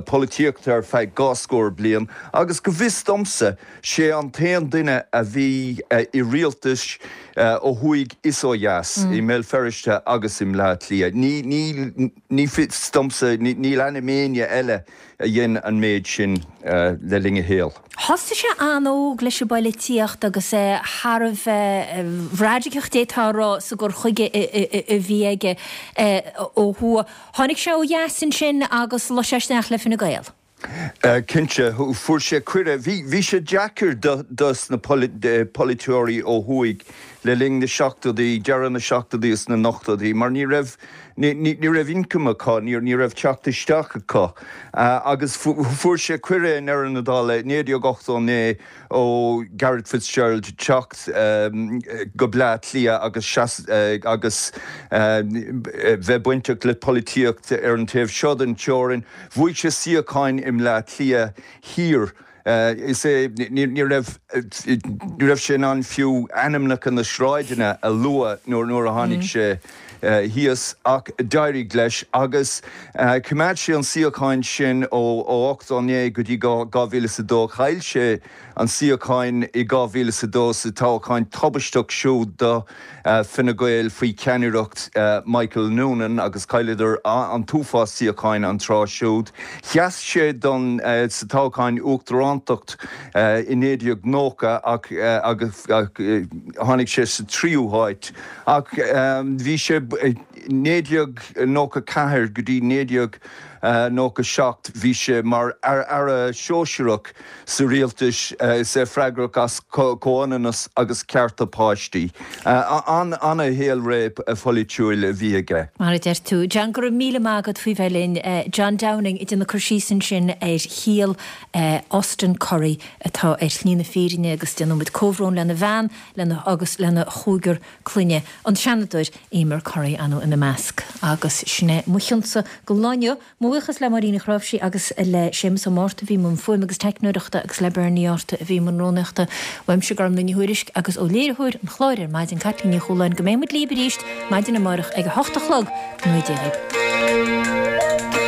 polaitíochta ar feadh dhá scór bliain Agus go bhfios domsa, sé an t-aon duine a bhí i rialtais ó thuaidh is ó dheas, i mBéal Feirste agus i mBleá Cliath. Ní, ní, ní fios domsa, níl ainm éinne eile a dhein an méid sin le linn a shaoil. Thosaigh sé an-óg leis an bpoilitíocht agus é thar a bheith raidiceach, d'fhéadfá a rá, sa gcur chuige a bhí aige ó thuaidh. Tháinig sé ó dheas ansin agus luigh sé isteach le Fine Gael. Cinnte, fuair sé cuireadh. Bhí sé deacair dos na polaiteoirí ó thuaidh le linn na seachtóidí, deireadh na seachtóidí is na n-ochtóidí, mar ní raibh, ní raibh income acu, ní raibh teacht isteach acu. Agus fuair sé cuireadh i ndeireadh na dála i 1989 ó Garret Fitzgerald teacht go Bleá Cliath agus agus bheith bainteach le polaitíocht ar an taobh seo den teorainn. Bhuaigh sé suíocháin i mBleá Cliath Thiar. Is é, ní raibh, ní raibh sé in ann fiú ainmneacha na sráideanna a lua nuair a tháinig sé thíos ach d'éirigh leis agus choimeád sé an suíochán sin ó 89 go dtí 2002. Chaill sé an suíochán i 2002 sa toghchán tubaisteach siúd do Fine Gael faoi cheannaireacht Michael Noonan agus chailleadar an t-uafás suíocháin an tráth siúd. Sheas sé don sa toghchán uachtarántacht i 1990 ach agus tháinig sé sa tríú háit. Ach bhí sé 1994 go dtí 19. 1997 bhí sé mar Aire Sóisearach sa rialtas is é freagrach as comhionannas agus cearta páistí. An-shaolré pholaitiúil a bhí aige. Mar a deir tú. John, go raibh míle maith agat faoi bheith linn. John Downing ag déanamh cur síos ansin ar shaol Austin Currie atá ar shlí na fírinne agus déanann muid comhbhrón lena bhean lena agus lena chúigear clainne, an Seanadóir Emer Currie ar ndóigh ina measc. Agus sin é mo chionsa don lá inniu. Mo bhuíochas le Máirín Ní Chráimhsí agus le Séamus Ó Márta a bhí i mbun fuaime agus teicneoireachta agus le Bernie Arta a bhí i mbun rúnaíochta. Uaimse Gormlaith Ní Thuairisg agus ó léiritheoir an chláir ar maidin, Caitlín Ní Chualáin, go mbeidh muid libh arís maidin amárach ag a hocht a chlog. Go ngnóthaí Dia libh.